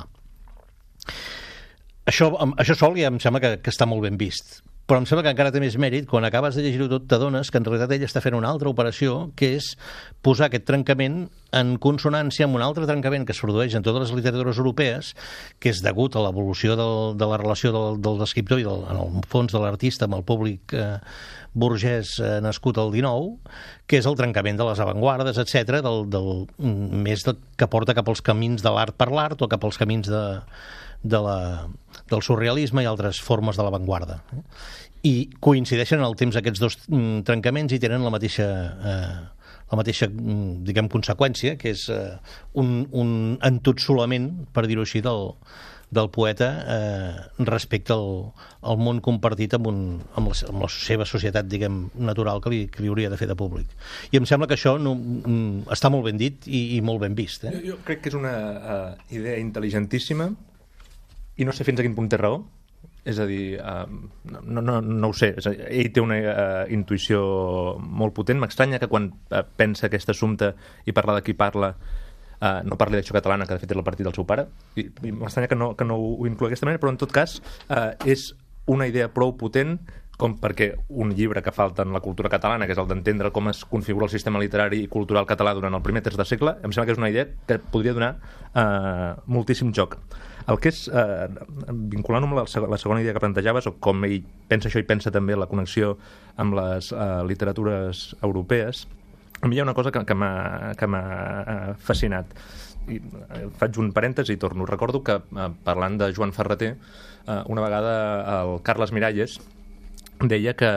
Això sol ja em sembla que està molt ben vist, però em sembla que encara té més mèrit quan acabes de llegir-ho tot, t'adones que en realitat ell està fent una altra operació, que és posar aquest trencament en consonància amb un altre trencament que es produeix en totes les literatures europees, que és degut a l'evolució de la relació del escriptor i en el fons de l'artista amb el públic burgès nascut al XIX, que és el trencament de les avantguardes, etc., més que porta cap als camins de l'art per l'art o cap als camins del surrealisme i altres formes de l'avantguarda. I coincideixen en el temps aquests dos trencaments i tenen la mateixa diguem, conseqüència, que és un entotsolament, per dir-ho així, del poeta respecte al món compartit amb la seva societat, diguem, natural que li hauria de fer de públic. I em sembla que això està molt ben dit i molt ben vist. Jo crec que és una idea intel·ligentíssima i no sé fins a quin punt té raó. És a dir, no ho sé, ell té una intuïció molt potent. M'estranya que quan pensa aquest assumpte i parla de qui parla no parli d'Acció Catalana, que de fet és el partit del seu pare, i m'estranya que no ho inclui d'aquesta manera, però en tot cas és una idea prou potent com perquè un llibre que falta en la cultura catalana, que és el d'entendre com es configura el sistema literari i cultural català durant el primer terç de segle, em sembla que és una idea que podria donar moltíssim joc. El que és, vinculant-ho amb la segona idea que plantejaves, o com ell pensa això i pensa també la connexió amb les literatures europees, a mi hi ha una cosa que m'ha fascinat. I faig un parèntesi i torno. Recordo que, parlant de Joan Ferreter, una vegada el Carles Miralles deia que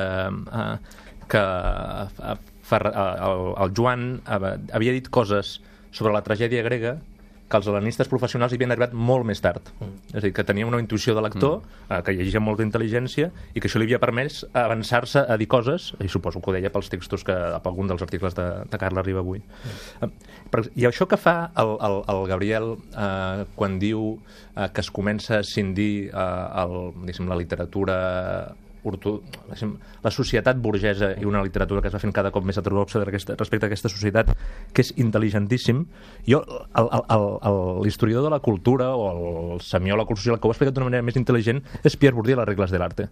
el Joan havia dit coses sobre la tragèdia grega que els hel·lenistes professionals hi havien arribat molt més tard. És a dir, que tenia una intuïció de lector, que llegia molta intel·ligència, i que això li havia permès avançar-se a dir coses, i suposo que ho deia pels textos, per algun dels articles de Carles Riba avui. I això que fa el Gabriel quan diu que es comença a escindir la literatura, la societat burgesa i una literatura que es va fent cada cop més heterodoxa respecte a aquesta societat, que és intel·ligentíssim. Jo, l'historiador de la cultura o el semiòleg social que ho ha explicat d'una manera més intel·ligent és Pierre Bourdieu a les regles de l'arte,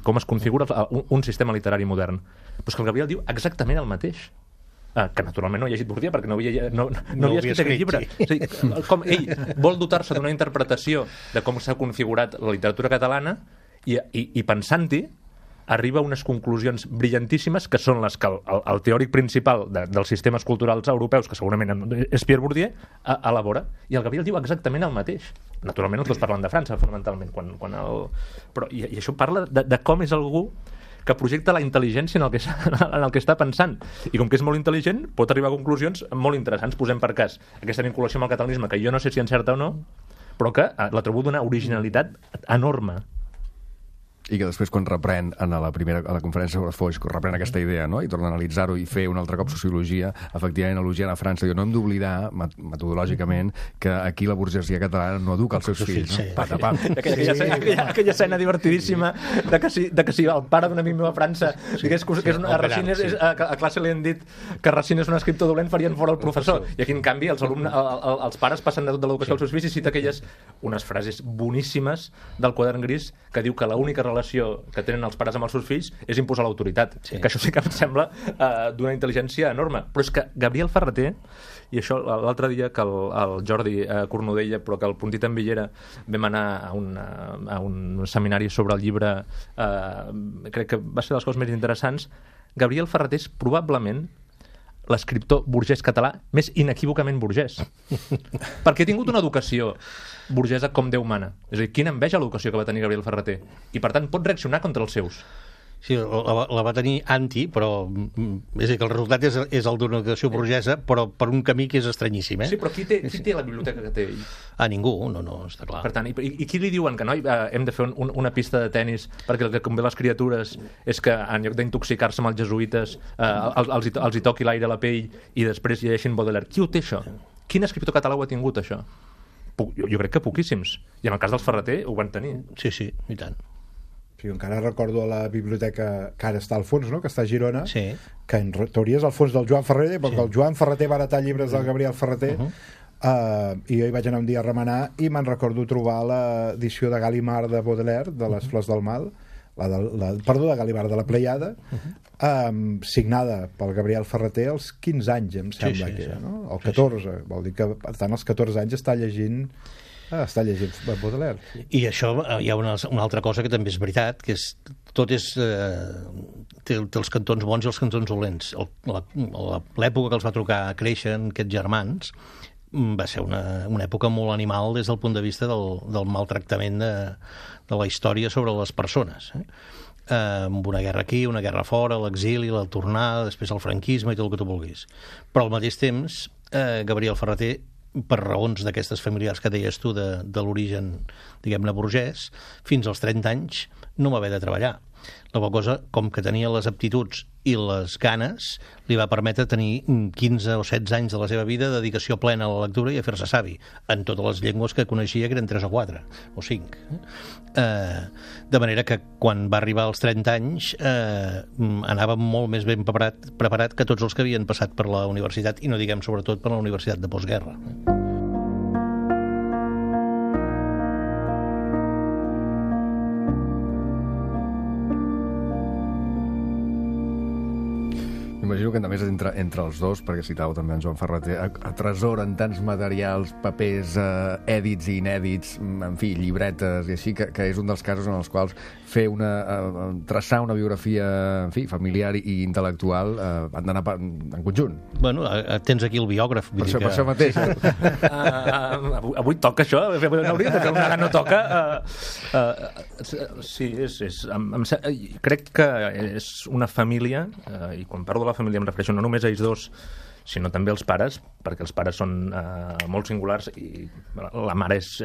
com es configura un sistema literari modern. Però és que el Gabriel diu exactament el mateix, que naturalment no ha llegit Bourdieu perquè no havia escrit aquest llibre. És a dir, com ell vol dotar-se d'una interpretació de com s'ha configurat la literatura catalana i pensant-hi arriba a unes conclusions brillantíssimes que són les que el teòric principal dels sistemes culturals europeus, que segurament és Pierre Bourdieu, elabora. I el Gabriel diu exactament el mateix. Naturalment els dos parlen de França, fonamentalment. I això parla de com és algú que projecta la intel·ligència en el que està pensant. I com que és molt intel·ligent, pot arribar a conclusions molt interessants. Posem per cas aquesta vinculació amb el catalanisme, que jo no sé si encerta o no, però que la trobo d'una originalitat enorme. I que després, quan reprèn a la conferència sobre Foix, reprèn aquesta idea, no? I torna a analitzar-ho i fer un altre cop sociologia, efectivament elogiant a França. Diu, no hem d'oblidar, metodològicament, que aquí la burgesia catalana no educa els seus fills. No? Patapam. Aquella escena divertidíssima de que si el pare d'un amic meu a França digués que a Racine a classe li han dit que Racine és un escriptor dolent, farien fora el professor. I aquí, en canvi, els pares passen de tot de l'educació als seus fills i cita unes frases boníssimes del Quadern Gris que diu que l'única relació que tenen els pares amb els seus fills és imposar l'autoritat. Sí. Que això sí que em sembla d'una intel·ligència enorme. Però és que Gabriel Ferreter, i això l'altre dia que el Jordi Cornudella, però que el Puntit en Villera vam anar a un seminari sobre el llibre, crec que va ser de les coses més interessants. Gabriel Ferreter és probablement l'escriptor burgès català més inequívocament burgès. Perquè ha tingut una educació burgesa com Déu mana. És a dir, quina enveja l'educació que va tenir Gabriel Ferreter. I, per tant, pot reaccionar contra els seus. Sí, la va tenir anti, però és a dir, que el resultat és el d'una educació burgesa, però per un camí que és estranyíssim, Sí, però qui té la biblioteca que té ell? Ningú, no, està clar. Per tant, i qui li diuen que no hem de fer una pista de tennis perquè el que convé les criatures és que en lloc d'intoxicar-se amb els jesuïtes els hi toqui l'aire a la pell i després llegeixin Baudelaire? Qui ho té, això? Quin escriptor català ho ha tingut, això? Jo crec que poquíssims. I en el cas dels Ferreter ho van tenir. Sí, i tant. Sí, encara recordo a la biblioteca que ara està al fons, no? Que està a Girona, sí. Que en teoria és el fons del Joan Ferreter, perquè el Joan Ferreter va heretar llibres del Gabriel Ferreter, i jo hi vaig anar un dia a remenar i me'n recordo trobar l'edició de Gallimard de Baudelaire, de les Flors del Mal, de Gallimard de la Pleiada, signada pel Gabriel Ferreter als 15 anys, em sembla que era, no? O 14, vol dir que per tant als 14 anys està llegint Baudelaire. I això hi ha una altra cosa que també és veritat, que té els cantons bons i els cantons dolents. L'època que els va trucar a créixer aquests germans va ser una època molt animal des del punt de vista del maltractament de la història sobre les persones, amb una guerra aquí, una guerra fora, l'exili, la tornada, després el franquisme i tot el que tu vulguis. Però al mateix temps, Gabriel Ferrater, per raons d'aquestes familiars que deies tu de l'origen, diguem-ne, burgès, fins als 30 anys no va haver de treballar. La qual cosa, com que tenia les aptituds i les ganes, li va permetre tenir 15 o 16 anys de la seva vida de dedicació plena a la lectura i a fer-se savi, en totes les llengües que coneixia, que eren 3 o 4 o 5. De manera que quan va arribar als 30 anys anava molt més ben preparat que tots els que havien passat per la universitat, i no diguem sobretot per la universitat de postguerra. M'imagino que, a més, entre els dos, perquè citàveu també en Joan Ferrater, atresoren tants materials, papers, èdits i inèdits, en fi, llibretes i així, que és un dels casos en els quals traçar una biografia, en fi, familiar i intel·lectual han d'anar en conjunt. Bueno, tens aquí el biògraf. Per això mateix. Avui toca això? No hauria de fer una no toca? Sí, crec que és una família, i quan parlo de la família em refereixo no només a ells dos, sinó també als pares, perquè els pares són molt singulars, i la mare és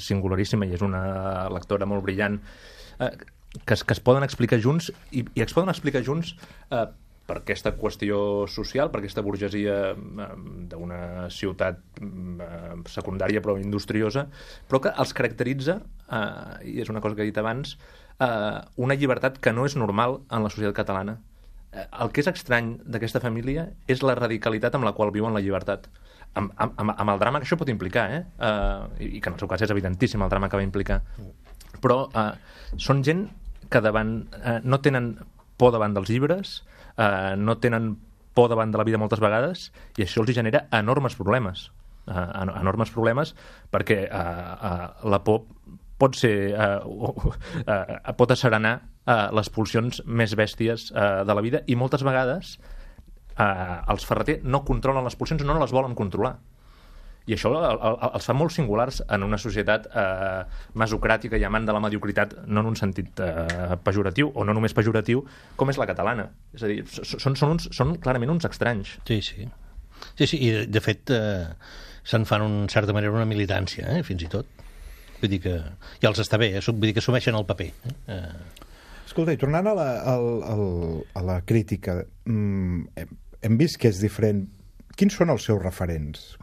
singularíssima i és una lectora molt brillant, que es poden explicar junts, i es poden explicar junts per aquesta qüestió social, per aquesta burgesia d'una ciutat secundària però industriosa, però que els caracteritza, i és una cosa que he dit abans, una llibertat que no és normal en la societat catalana. El que és estrany d'aquesta família és la radicalitat amb la qual viuen la llibertat, amb el drama que això pot implicar, i que en el seu cas és evidentíssim el drama que va implicar, però són gent que no tenen por davant dels llibres, no tenen por davant de la vida moltes vegades, i això els genera enormes problemes, perquè la por pot asserenar les pulsions més bèsties de la vida, i moltes vegades els Ferrater no controlen les pulsions, no les volen controlar, i això els fa molt singulars en una societat mesocràtica i amant de la mediocritat, no en un sentit pejoratiu, o no només pejoratiu, com és la catalana. És a dir, són clarament uns estranys. Sí, i de fet se'n fan en certa manera una militància, fins i tot. Vull dir que ja els està bé, vull dir que assumeixen el paper. Escolta, i tornant a la crítica, hem vist que és diferent. Quins són els seus referents?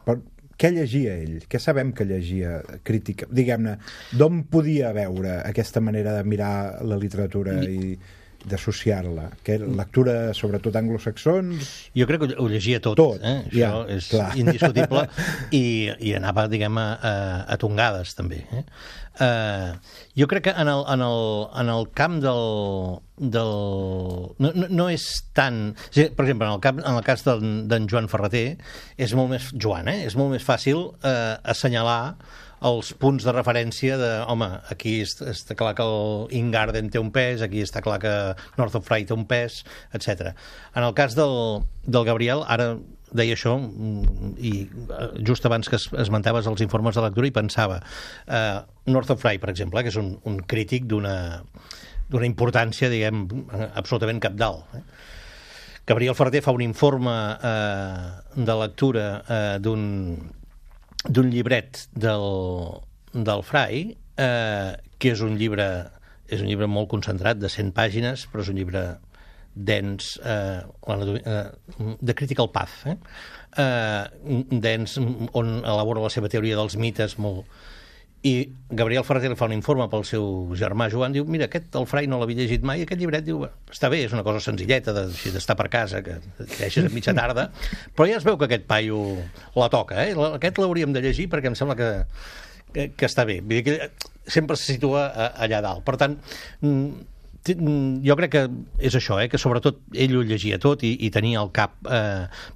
Què llegia ell? Què sabem que llegia crítica? Diguem-ne, d'on podia veure aquesta manera de mirar la literatura i d'associar-la? Lectura, sobretot anglosaxons? Jo crec que ho llegia tot. Això és indiscutible, i anava, diguem, a tongades, també. Jo crec que en el camp no és tant... Per exemple, en el cas d'en Joan Ferrater, és molt més fàcil assenyalar els punts de referència de, home, aquí està clar que el Ingarden té un pes, aquí està clar que North of Fry té un pes, etc. En el cas del Gabriel, ara deia això, i just abans que esmentaves els informes de lectura, i pensava, North of Fry, per exemple, que és un crític d'una importància, diguem, absolutament cabdal. Gabriel Ferrater fa un informe de lectura d'un llibret del Fry, que és un llibre molt concentrat, de 100 pàgines, però és un llibre dens, de Critical Path, dens, on elabora la seva teoria dels mites, molt... I Gabriel Ferrater fa un informe pel seu germà Joan, diu, mira, el Fry no l'havia llegit mai, aquest llibret, diu, està bé, és una cosa senzilleta d'estar per casa, que deixes a mitja tarda, però ja es veu que aquest paio la toca, aquest l'hauríem de llegir perquè em sembla que està bé. Vull dir que sempre se situa allà dalt. Per tant, jo crec que és això, que sobretot ell ho llegia tot i tenia al cap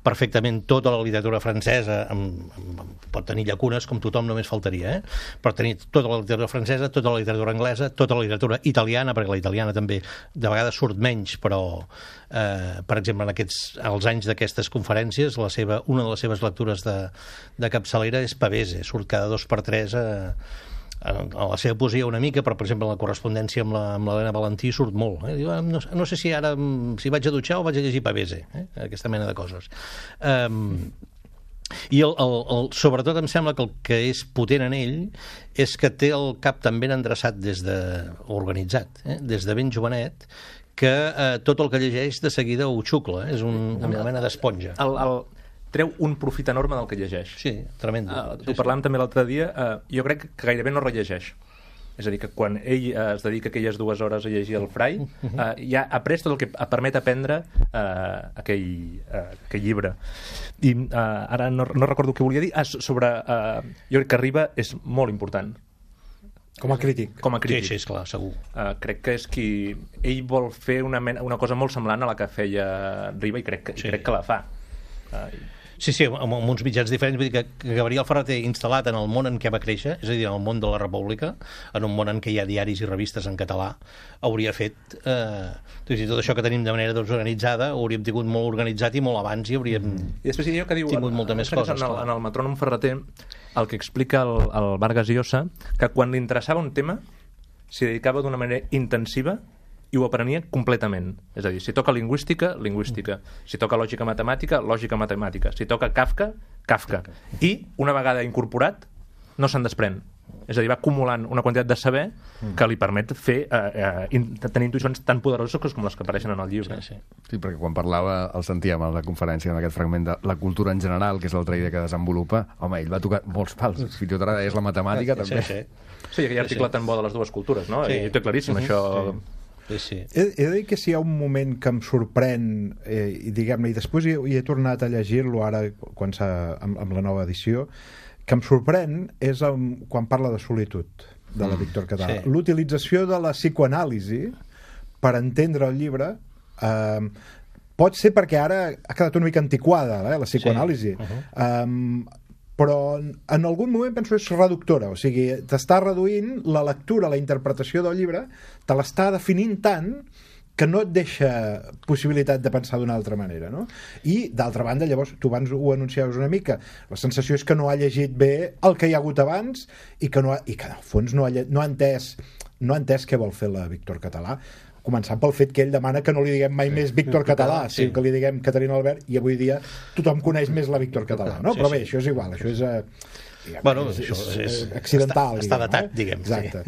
perfectament tota la literatura francesa, pot tenir llacunes com tothom, només faltaria, però tenir tota la literatura francesa, tota la literatura anglesa, tota la literatura italiana, perquè la italiana també de vegades surt menys, però per exemple als anys d'aquestes conferències una de les seves lectures de capçalera és Pavese, surt cada 2 per 3 a la seva poesia una mica, però per exemple la correspondència amb l'Helena Valentí surt molt. Diu, no sé si ara si vaig a dutxar o vaig a llegir Pavese, aquesta mena de coses. I sobretot em sembla que el que és potent en ell és que té el cap tan ben endreçat organitzat, des de ben jovenet, que tot el que llegeix de seguida ho xucla, és una mena d'esponja. Treu un profit enorme del que llegeix. Sí, tremendo. Ho parlàvem també l'altre dia, jo crec que gairebé no rellegeix. És a dir, que quan ell es dedica aquelles 2 hores a llegir el Fray, ja ha après tot el que permet aprendre aquell llibre. I ara no recordo què volia dir. Jo crec que Riba és molt important. Com a crític. Sí, esclar, segur. Crec que és qui... Ell vol fer una cosa molt semblant a la que feia Riba i crec que la fa. Sí, amb uns mitjans diferents. Vull dir que Gabriel Ferrater, instal·lat en el món en què va créixer, és a dir, en el món de la República, en un món en què hi ha diaris i revistes en català, hauria fet tot això que tenim de manera desorganitzada, ho hauríem tingut molt organitzat i molt abans i hauríem tingut molta més coses. En el Metrònom Ferrater, el que explica el Vargas Llosa, que quan li interessava un tema s'hi dedicava d'una manera intensiva i ho aprenia completament. És a dir, si toca lingüística, lingüística. Si toca lògica matemàtica, lògica matemàtica. Si toca Kafka, Kafka. I, una vegada incorporat, no se'n desprèn. És a dir, va acumulant una quantitat de saber que li permet tenir intuïcions tan poderoses com les que apareixen en el llibre. Sí, perquè quan parlava, el sentíem a la conferència en aquest fragment de la cultura en general, que és l'altra idea que desenvolupa, home, ell va tocar molts pals. Fins i tot ara és la matemàtica, també. Sí, aquell article tan bo de les dues cultures, no? I ho té claríssim, això... Sí. He de dir que si hi ha un moment que em sorprèn i diguem-ne, i després hi he tornat a llegir-lo ara amb la nova edició, que em sorprèn és quan parla de solitud de la Víctor Català. L'utilització de la psicoanàlisi per entendre el llibre pot ser perquè ara ha quedat una mica antiquada, la psicoanàlisi. Però en algun moment penso que és reductora, o sigui, t'està reduint la lectura, la interpretació del llibre, te l'està definint tant que no et deixa possibilitat de pensar d'una altra manera, no? I, d'altra banda, llavors, tu abans ho anunciaves una mica, la sensació és que no ha llegit bé el que hi ha hagut abans i que en el fons no ha entès què vol fer la Víctor Català, començant pel fet que ell demana que no li diguem mai més Víctor Català, sinó que li diguem Caterina Albert, i avui dia tothom coneix més la Víctor Català, no? Però bé, això és igual, això és... és accidental, està datat, diguem. Exacte.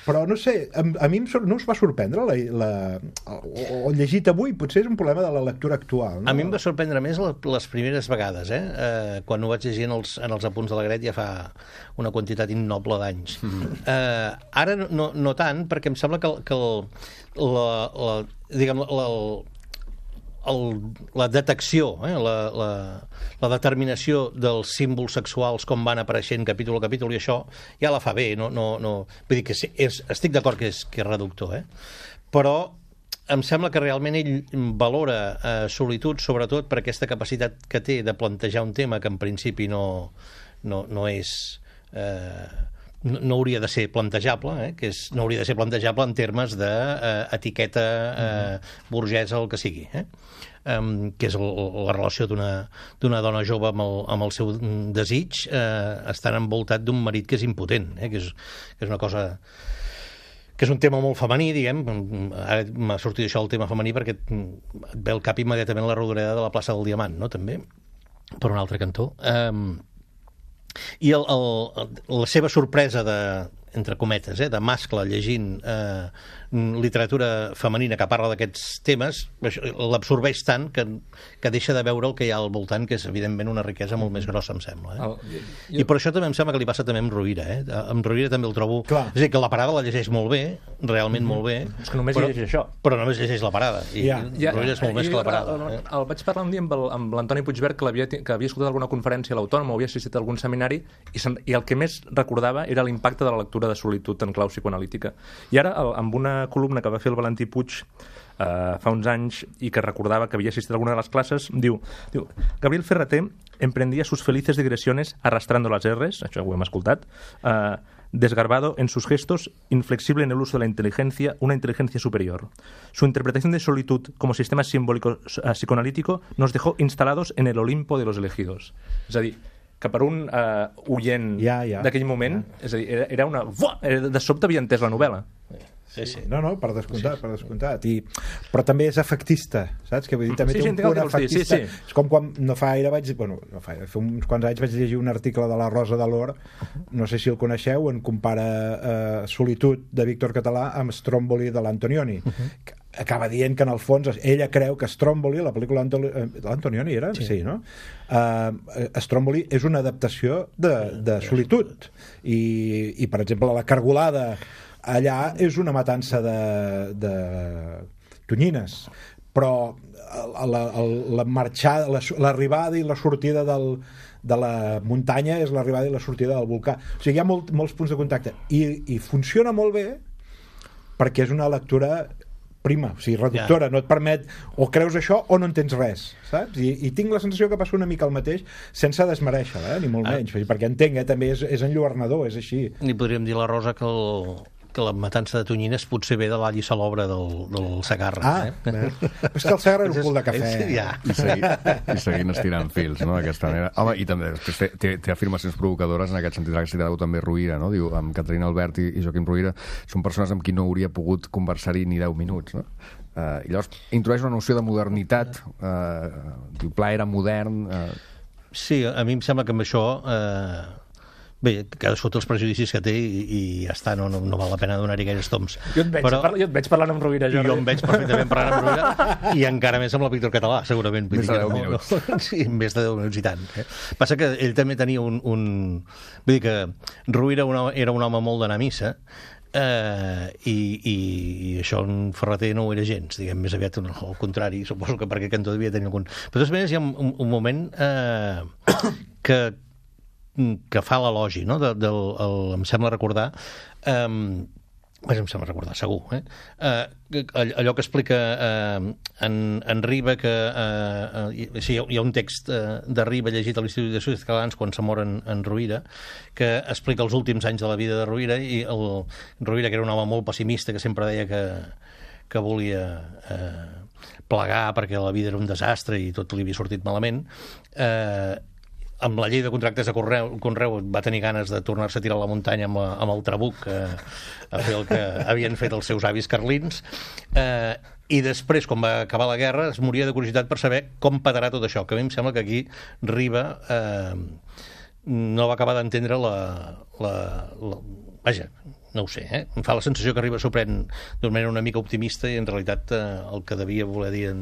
Però no sé, a mi no us va sorprendre o llegit avui, potser és un problema de la lectura actual, no? A mi em va sorprendre més les primeres vegades, quan ho vaig llegir en els apunts de la Gret ja fa una quantitat innoble d'anys. Ara no tant, perquè em sembla que la detecció, la determinació dels símbols sexuals com van apareixent capítol a capítol, i això ja la fa bé, vull dir que estic d'acord que és reductor, però em sembla que realment ell valora solitud sobretot per aquesta capacitat que té de plantejar un tema que en principi no és... no hauria de ser plantejable, no hauria de ser plantejable en termes d'etiqueta burgesa o el que sigui, que és la relació d'una dona jove amb el seu desig, estant envoltat d'un marit que és impotent, que és una cosa... que és un tema molt femení, diguem. Ara m'ha sortit això el tema femení perquè et ve al cap immediatament la rodoreda de la plaça del Diamant, no? També, per un altre cantó. I la seva sorpresa entre cometes, de mascle llegint literatura femenina que parla d'aquests temes, l'absorbeix tant que deixa de veure el que hi ha al voltant, que és evidentment una riquesa molt més grossa, em sembla. I per això també em sembla que li passa també amb Rovira. Amb Rovira també el trobo... És a dir, que la parada la llegeix molt bé, realment molt bé. És que només llegeix això. Però només llegeix la parada. I Rovira és molt més que la parada. El vaig parlar un dia amb l'Antoni Puigvert, que havia escoltat alguna conferència a l'Autònoma, havia assistit a algun seminari, i el que més recordava era l'impacte de la lectura de Solitud en clau psicoanalítica. I ara, amb una columna que va fer el Valentí Puig fa uns anys i que recordava que havia assistit a alguna de les classes, diu Gabriel Ferrater emprendía sus felices digresiones arrastrando las R's, això ho hem escoltat, desgarbado en sus gestos, inflexible en el uso de la inteligencia, una inteligencia superior. Su interpretación de solitud como sistema simbólico psicoanalítico nos dejó instalados en el Olimpo de los elegidos. És a dir, que per un oient d'aquell moment, és a dir, era una... de sobte havia entès la novel·la. Sí. No, per descomptat. Però també és efectista, saps? Que vull dir, també té un punt efectista. És com quan fa uns quants anys vaig llegir un article de la Rosa de l'Or, no sé si el coneixeu, en compara Solitud de Víctor Català amb Stromboli de l'Antonioni. Acaba dient que en el fons ella creu que Stromboli, la pel·lícula de l'Antonioni era? Sí, no? Stromboli és una adaptació de Solitud i per exemple la Cargolada allà és una matança de tonyines, però l'arribada i la sortida de la muntanya és l'arribada i la sortida del volcà. O sigui, hi ha molts punts de contacte i funciona molt bé perquè és una lectura prima, o sigui, reductora, no et permet o creus això o no entens res, saps? I tinc la sensació que passa una mica el mateix sense desmereixer-la, ni molt menys, perquè entenc, també és enlluernador, és així. Ni podríem dir la Rosa que la matança de tonyines potser ve de l'all i salobra del Segarra. És que el Segarra era un cul de cafè. I seguint estirant fils, no?, d'aquesta manera. Home, i també després té afirmacions provocadores en aquest sentit, que ha citat també Rovira, no? Diu, amb Caterina Albert i Joaquim Rovira són persones amb qui no hauria pogut conversar-hi ni 10 minuts, no? I llavors introdueix una noció de modernitat, diu, Pla era modern... Sí, a mi em sembla que amb això... Bé, cadascú té els prejudicis que té i ja està, no val la pena donar-hi gaires toms. Jo et veig parlant amb Rovira, Jordi. Jo em veig perfectament parlant amb Rovira i encara més amb el Víctor Català, segurament. Més de 10 minuts. Sí, més de 10 minuts i tant. Passa que ell també tenia un... Vull dir que Rovira era un home molt d'anar a missa, i això en Ferrater no ho era gens, diguem, més aviat al contrari, suposo que perquè Cantó devia tenir algun... Però de totes maneres hi ha un moment que fa l'elogi, no? Em sembla recordar segur, allò que explica en Riba, que hi ha un text de Riba llegit a l'Institut d'Estudis Catalans quan se mor en Rovira, que explica els últims anys de la vida de Rovira, i el Rovira, que era un home molt pessimista, que sempre deia que volia plegar perquè la vida era un desastre i tot li havia sortit malament, amb la llei de contractes de Conreu va tenir ganes de tornar-se a tirar a la muntanya amb el trabuc a fer el que havien fet els seus avis carlins, i després, quan va acabar la guerra, es moria de curiositat per saber com petarà tot això, que a mi em sembla que aquí Riba no va acabar d'entendre vaja, no ho sé, em fa la sensació que Riba s'ho pren d'una manera una mica optimista i en realitat el que devia voler dir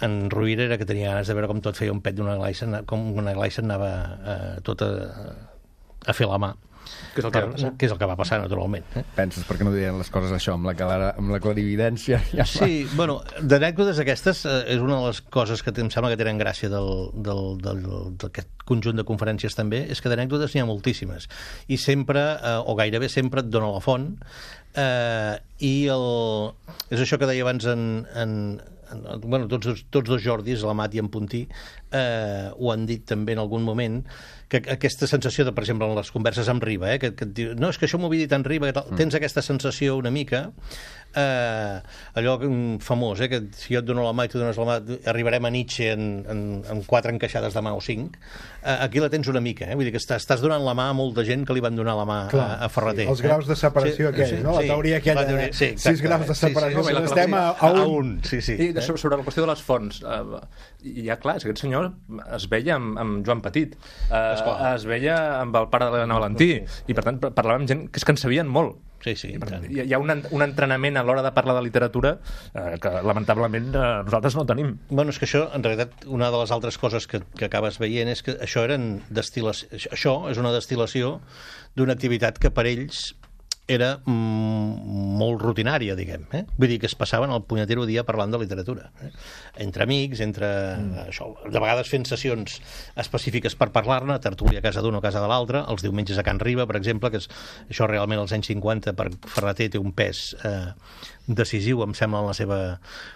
en Rovira era que tenia ganes de veure com tot feia un pet d'una glaixa, com una glaixa anava tot a fer la mà. Que és el que va passar. Que és el que va passar, naturalment. Penses, per què no deien les coses això, amb la clarividència? Sí, bueno, d'anècdotes aquestes és una de les coses que em sembla que tenen gràcia d'aquest conjunt de conferències també, és que d'anècdotes n'hi ha moltíssimes. I sempre, o gairebé sempre, et dona la font, i és això que deia abans bueno, tots dos Jordis, l'Amat i en Puntí, ho han dit també en algun moment, que aquesta sensació de, per exemple, en les converses amb Riba, que et diu, no, és que això m'ho havia dit en Riba, tens aquesta sensació una mica, allò famós, que si jo et dono la mà i tu dones la mà, arribarem a Nietzsche en 4 encaixades de mà o 5, aquí la tens una mica, vull dir que estàs donant la mà a molta gent que li van donar la mà a Ferrater. Els graus de separació aquells, no? La teoria aquella de 6 graus de separació, estem a un. I sobre la qüestió de les fonts, ja clar, és que aquest senyor es veia amb Joan Petit, es veia amb el pare de l'Helena Valentí, i per tant parlava amb gent que és que en sabien molt. Sí, hi ha un entrenament a l'hora de parlar de literatura que lamentablement nosaltres no tenim. Bueno, és que això, en realitat, una de les altres coses que acabes veient és que això és una destil·lació d'una activitat que per ells era molt rutinària, diguem. Vull dir que es passaven el punyetero dia parlant de literatura. Entre amics, això, de vegades fent sessions específiques per parlar-ne, tertúlia a casa d'un o a casa de l'altre, els diumenges a Can Riba, per exemple, que això realment als anys 50 per Ferreter té un pes decisiu, em sembla, en la seva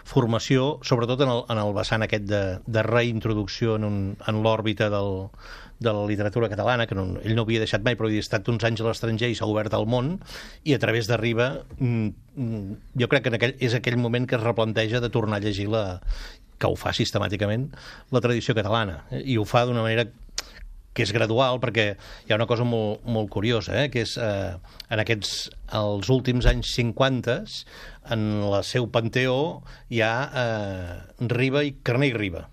formació, sobretot en el vessant aquest de reintroducció en l'òrbita de la literatura catalana, que ell no havia deixat mai, però havia estat uns anys a l'estranger i s'ha obert al món, i a través de Riba jo crec que és aquell moment que es replanteja de tornar a llegir que ho fa sistemàticament la tradició catalana, i ho fa d'una manera que és gradual, perquè hi ha una cosa molt, molt curiosa, que és els últims anys 50, en el seu panteó hi ha Riba i Carner i Riba.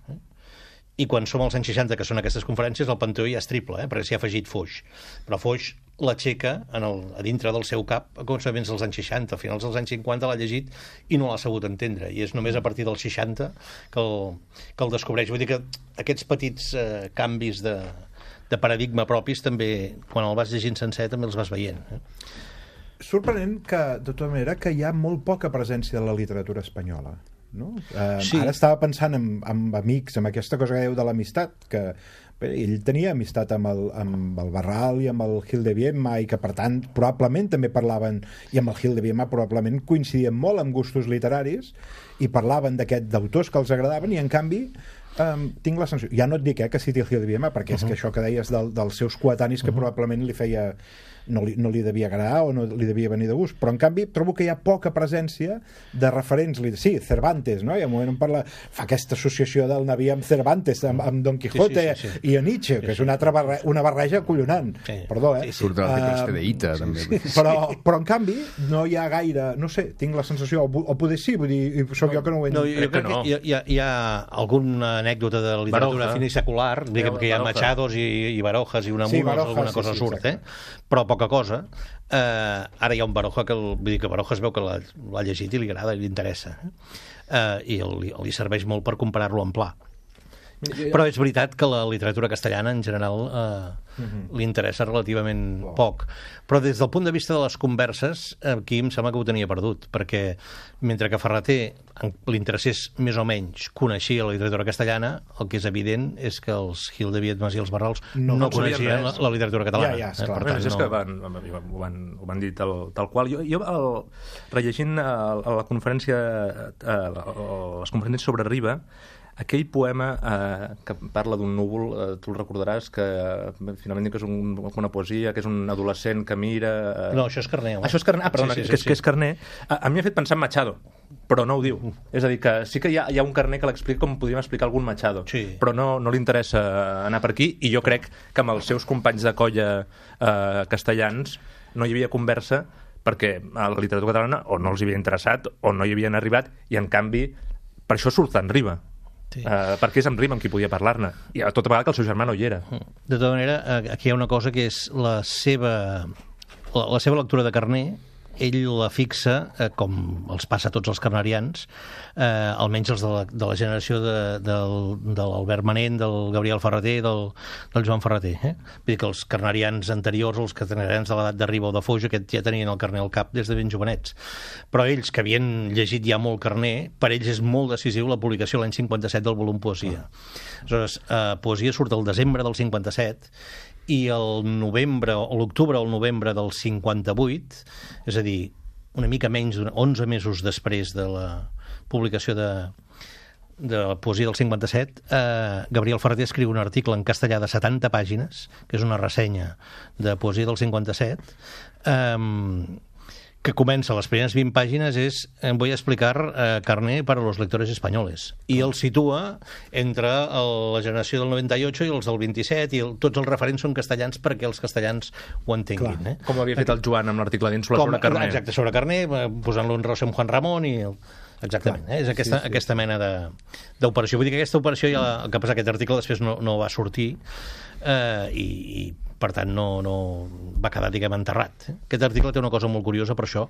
I quan som als anys 60, que són aquestes conferències, el panteó ja és triple, perquè s'hi ha afegit Foix. Però Foix l'aixeca a dintre del seu cap a començaments dels anys 60. A finals dels anys 50 l'ha llegit i no l'ha sabut entendre. I és només a partir dels 60 que el descobreix. Vull dir que aquests petits canvis de paradigma propis també, quan el vas llegint sencer, també els vas veient. Sorprenent que, de tota manera, que hi ha molt poca presència de la literatura espanyola. No? Sí. Ara estava pensant en amics, amb aquesta cosa que dèieu de l'amistat, que ell tenia amistat amb el Barral i amb el Gil de Viedma, i que per tant probablement també parlaven, i amb el Gil de Viedma probablement coincidien molt en gustos literaris i parlaven d'autors que els agradaven, i en canvi tinc la sensació, ja no et dic que citi el Gil de Viedma, perquè és que això que deies dels seus coetanis que probablement li feia no li devia agradar o no li devia venir de gust, però en canvi trobo que hi ha poca presència de referents. Sí, Cervantes, no? I al moment fa aquesta associació del Naví amb Cervantes, amb Don Quijote i a Nietzsche, que és una barreja acollonant. Perdó, Surt de l'Antiprestedeïta, també. Però en canvi no hi ha gaire, no sé, tinc la sensació, o poder sí, vull dir, soc jo que no ho he entès. Jo crec que hi ha alguna anècdota de literatura finisecular, diguem que hi ha Machados i Barojas i Unamuno, alguna cosa surt, però poca cosa. Ara hi ha un Baroja que Baroja es veu que l'ha llegit i li agrada i li interessa, i li serveix molt per comparar-lo amb Pla. Però és veritat que la literatura castellana en general li interessa relativament poc, però des del punt de vista de les converses aquí em sembla que ho tenia perdut, perquè mentre que Ferreter li interessés més o menys coneixia la literatura castellana, el que és evident és que els Gil de Viedmas i els Barrals no coneixien la literatura catalana. Per tant, és que ho van dir tal qual. Jo rellegint la conferència, les conferències sobre Riba, aquell poema que parla d'un núvol, tu el recordaràs, que finalment diu que és una poesia, que és un adolescent que mira... No, això és Carner. Això és Carner, perdona, que és Carner. A mi m'ha fet pensar en Machado, però no ho diu. És a dir, que sí que hi ha un Carner que l'explica com podríem explicar algun Machado, però no li interessa anar per aquí, i jo crec que amb els seus companys de colla castellans no hi havia conversa perquè a la literatura catalana o no els havia interessat o no hi havien arribat, i en canvi per això surt en Riba. Perquè és en Riba amb qui podia parlar-ne, i a tota vegada que el seu germà no hi era. De tota manera, aquí hi ha una cosa que és la seva lectura de Carner. Ell la fixa, com els passa a tots els carnerians, almenys els de la generació de l'Albert Manent, del Gabriel Ferreter, del Joan Ferreter. Vull dir que els carnerians anteriors, els carnerians de l'edat de Riba o de Foix, ja tenien el Carner al cap des de ben jovenets. Però ells, que havien llegit ja molt Carner, per ells és molt decisiu la publicació l'any 57 del volum Poesia. Aleshores, Poesia surt el desembre del 57, i el novembre, o l'octubre o el novembre del 58, és a dir, una mica menys d'11 mesos després de la publicació de Poesia del 57, Gabriel Ferreter escriu un article en castellà de 70 pàgines, que és una ressenya de Poesia del 57, que comença, les primeres 20 pàgines és voy a explicar Carner para los lectores españoles, i el situa entre la generació del 98 i els del 27, i tots els referents són castellans perquè els castellans ho entenguin. Com havia fet el Joan amb l'article d'Ínsula sobre Carner. Exacte, sobre Carner, posant-lo en relació amb Juan Ramón i... Exactament, és aquesta mena d'operació. Vull dir que aquesta operació, el que passa, aquest article després no va sortir, i per tant no va quedar, diguem, enterrat. Aquest article té una cosa molt curiosa per això,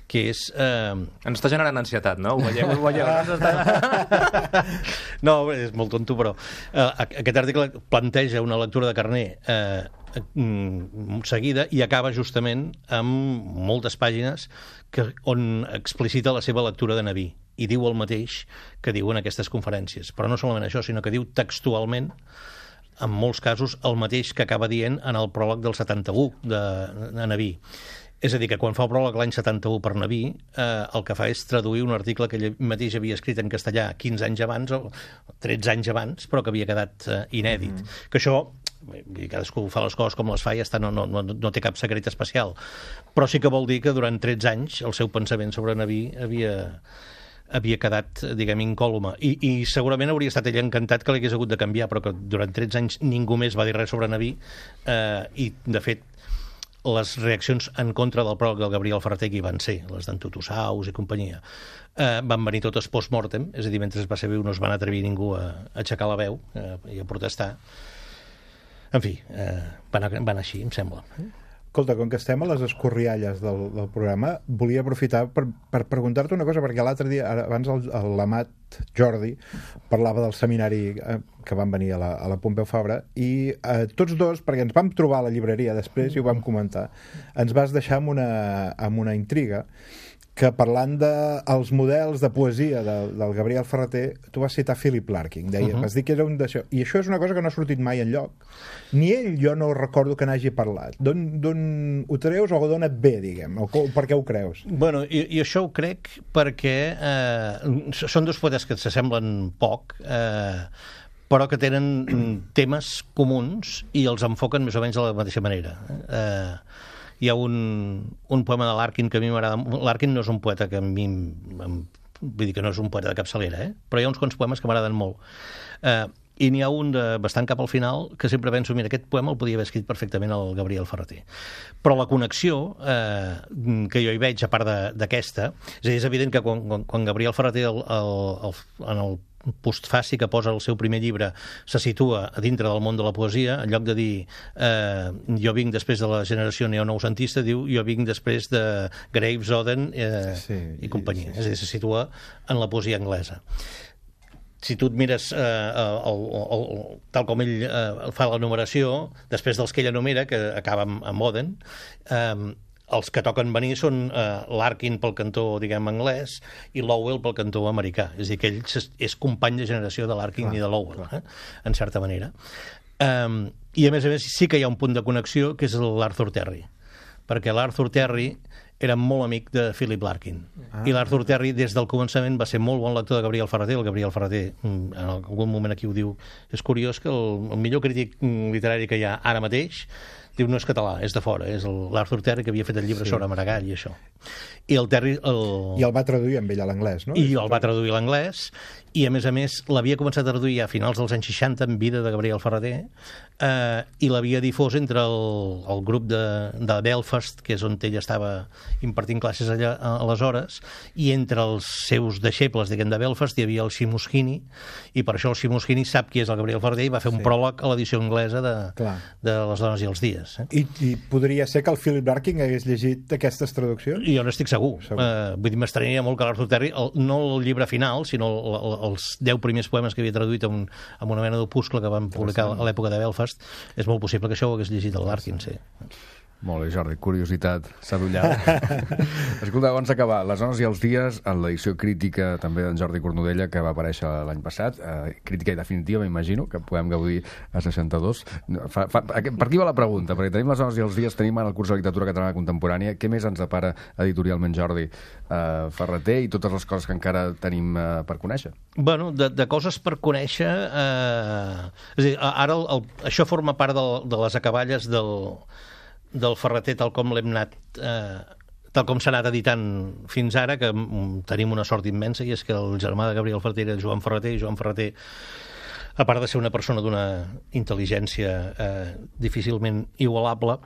que és... Ens està generant ansietat, no? Ho veieu. No, és molt tonto, però aquest article planteja una lectura de Carner seguida i acaba justament amb moltes pàgines on explicita la seva lectura de Naví i diu el mateix que diu en aquestes conferències. Però no solament això, sinó que diu textualment, en molts casos, el mateix que acaba dient en el pròleg del 71 de Naví. És a dir, que quan fa el pròleg l'any 71 per Naví, el que fa és traduir un article que ell mateix havia escrit en castellà 15 anys abans, o 13 anys abans, però que havia quedat inèdit. Que això, cadascú fa les coses com les fa i ja està, no té cap secret especial. Però sí que vol dir que durant 13 anys el seu pensament sobre Naví havia quedat, diguem, incòluma. I segurament hauria estat ell encantat que l'hagués hagut de canviar, però que durant 13 anys ningú més va dir res sobre Naví, i, de fet, les reaccions en contra del pròleg del Gabriel Ferrater, que hi van ser, les d'en Tutusaus i companyia, van venir totes post-mortem, és a dir, mentre es va ser viu no es van atrevir ningú a aixecar la veu i a protestar. En fi, van així, em sembla. Escolta, com que estem a les escorrialles del programa, volia aprofitar per preguntar-te una cosa, perquè l'altre dia, abans l'Amat Jordi parlava del seminari que van venir a la Pompeu Fabra, i tots dos, perquè ens vam trobar a la llibreria després i ho vam comentar, ens vas deixar amb una intriga, que parlant dels models de poesia del Gabriel Ferrater, tu vas citar Philip Larkin, vas dir que era un d'això, i això és una cosa que no ha sortit mai enlloc, ni ell, jo no recordo que n'hagi parlat. D'on ho treus o d'on et ve, diguem, o per què ho creus? Bueno, i això ho crec perquè són dos poetes que s'assemblen poc, però que tenen temes comuns i els enfoquen més o menys de la mateixa manera. Hi ha un poema de Larkin que a mi m'agrada. Larkin no és un poeta que a mi vull dir que no és un poeta de capçalera, però hi ha uns quants poemes que m'agraden molt. I n'hi ha un bastant cap al final que sempre penso, mira, aquest poema el podia haver escrit perfectament el Gabriel Ferrater. Però la connexió que jo hi veig, a part d'aquesta, és evident que quan Gabriel Ferrater en el postfaci que posa el seu primer llibre se situa a dintre del món de la poesia, en lloc de dir jo vinc després de la generació neonoucentista, diu jo vinc després de Graves, Oden i companyia. És a dir, se situa en la poesia anglesa. Si tu et mires tal com ell fa la numeració, després dels que ell enumera, que acaba amb Oden, els que toquen venir són Larkin pel cantó, diguem, anglès, i Lowell pel cantó americà. És a dir, que ell és company de generació de Larkin i de Lowell, en certa manera. I, a més, sí que hi ha un punt de connexió, que és l'Arthur Terry. Perquè l'Arthur Terry era molt amic de Philip Larkin. I l'Arthur Terry, des del començament, va ser molt bon lector de Gabriel Ferrater. El Gabriel Ferrater, en algun moment aquí ho diu, és curiós que el millor crític literari que hi ha ara mateix diu no és català, és de fora, és l'Arthur Terry que havia fet el llibre sobre Maragall i això. I el Terry... I el va traduir amb ell a l'anglès, no? I el va traduir a l'anglès, i a més l'havia començat a traduir a finals dels anys 60 en vida de Gabriel Ferrater, i l'havia difós entre el grup de Belfast, que és on ell estava impartint classes allà aleshores, i entre els seus deixebles, diguem, de Belfast hi havia el Seamus Heaney, i per això el Seamus Heaney sap qui és el Gabriel Ferrater i va fer un pròleg a l'edició anglesa de Les dones i els dies. I podria ser que el Philip Larkin hagués llegit aquestes traduccions? Jo no estic segur. Vull dir, m'estranyaria molt que l'Arthur Terry, no el llibre final, sinó els 10 primers poemes que havia traduït en una mena d'opuscle que van publicar a l'època de Belfast, és molt possible que això ho hagués llegit el Larkin, sí. Molt bé, Jordi, curiositat sadollada. Escolta, abans d'acabar, Les dones i els dies, en l'edició crítica també d'en Jordi Cornudella, que va aparèixer l'any passat, crítica i definitiva, m'imagino, que podem gaudir a 62. Per aquí va la pregunta, perquè tenim Les dones i els dies, tenim en el curs de literatura catalana contemporània, què més ens depara editorialment, Jordi? Ferrater i totes les coses que encara tenim per conèixer? Bueno, de coses per conèixer... És a dir, ara això forma part de les acaballes del Ferrater tal com l'hem anat tal com s'ha anat editant fins ara, que tenim una sort immensa, i és que el germà de Gabriel Ferrater era Joan Ferrater, i Joan Ferrater, a part de ser una persona d'una intel·ligència difícilment igualable,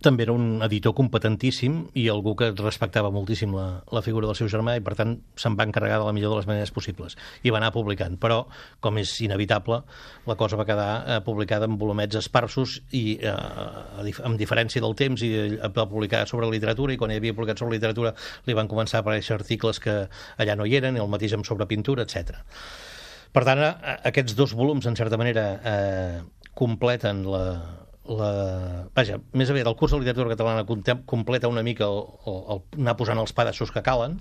també era un editor competentíssim i algú que respectava moltíssim la figura del seu germà i, per tant, se'n va encarregar de la millor de les maneres possibles. I va anar publicant. Però, com és inevitable, la cosa va quedar publicada en volumets esparsos i, amb diferència del temps, i va publicar sobre literatura, i quan hi havia publicat sobre literatura li van començar a aparèixer articles que allà no hi eren, i el mateix amb sobre pintura, etc. Per tant, aquests dos volums, en certa manera, completen vaja, més aviat el curs de literatura catalana completa una mica el anar posant els pedaços que calen,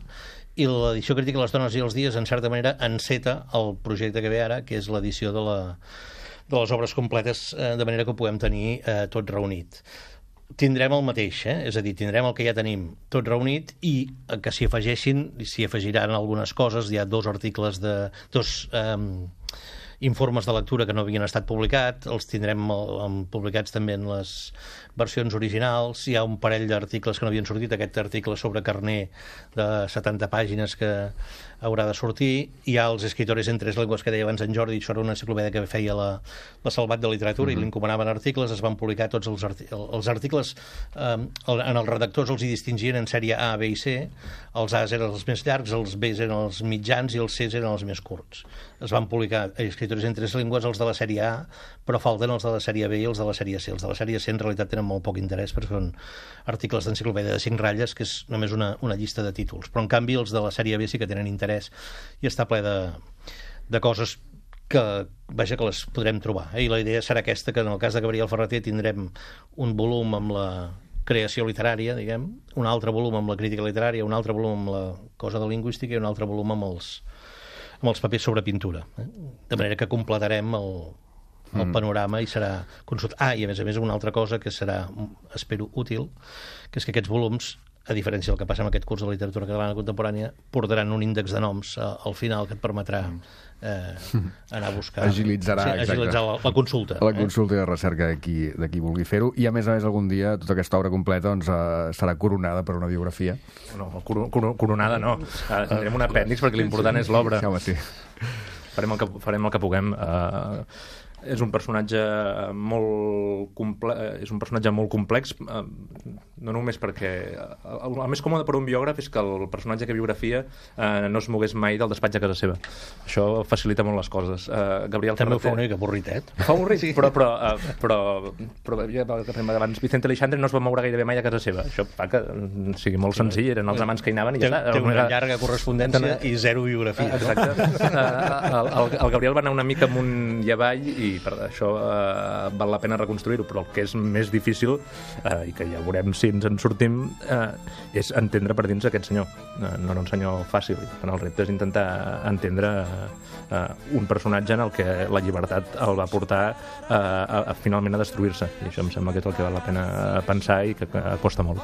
i l'edició crítica Les dones i els dies, en certa manera, enceta el projecte que ve ara, que és l'edició de les obres completes, de manera que ho puguem tenir tot reunit. Tindrem el mateix, és a dir, tindrem el que ja tenim tot reunit, i que s'hi afegiran algunes coses. Hi ha dos informes de lectura que no havien estat publicats, els tindrem publicats també en les versions originals. Hi ha un parell d'articles que no havien sortit, aquest article sobre Carner de 70 pàgines que haurà de sortir. Hi ha els escritores en tres llengües que deia abans en Jordi, això era una enciclopèdia que feia la Salvat de Literatura, i li encomanaven articles, es van publicar tots els articles, en els redactors els hi distingien en sèrie A, B i C, els A's eren els més llargs, els B's eren els mitjans i els C's eren els més curts. Es van publicar escritores en tres llengües, els de la sèrie A, però falten els de la sèrie B i els de la sèrie C. Els de la sèrie C en realitat tenen molt poc interès, perquè són articles d'enciclopèdia de 5 ratlles, que és només una llista de títols. Però en canvi els de la sèrie B sí que tenen interès, i està ple de coses que les podrem trobar. I la idea serà aquesta, que en el cas de Gabriel Ferrater tindrem un volum amb la creació literària, diguem, un altre volum amb la crítica literària, un altre volum amb la cosa de lingüística i un altre volum amb els papers sobre pintura. De manera que completarem el panorama i serà consult. I a més una altra cosa que serà, espero, útil, que és que aquests volums, a diferència del que passa amb aquest curs de literatura catalana contemporània, portaran un índex de noms al final que et permetrà anar a buscar... Agilitzar la consulta. La consulta i la recerca de qui vulgui fer-ho. I a més algun dia tota aquesta obra completa serà coronada per una biografia. No, coronada no. Tindrem un apèndix perquè l'important és l'obra. Sí. Farem el que puguem. És un personatge molt complex, no només perquè el més còmode per un biògraf és que el personatge que biografia no es mogués mai del despatx a casa seva. Això facilita molt les coses. Gabriel també Ferrater... ho fa una mica avorritet. Fa avorrit, sí. però abans Vicente Aleixandre no es va moure gairebé mai a casa seva. Això fa que sigui molt senzill, eren els amants que hi anaven i ja està. Té una llarga correspondència i zero biografia. Exacte. El Gabriel va anar una mica amunt i avall, i per això val la pena reconstruir-ho, però el que és més difícil, i que ja veurem si ens en sortim, és entendre per dins aquest senyor. No era un senyor fàcil, i el repte és intentar entendre un personatge en el que la llibertat el va portar finalment a destruir-se, i això em sembla que és el que val la pena pensar i que costa molt.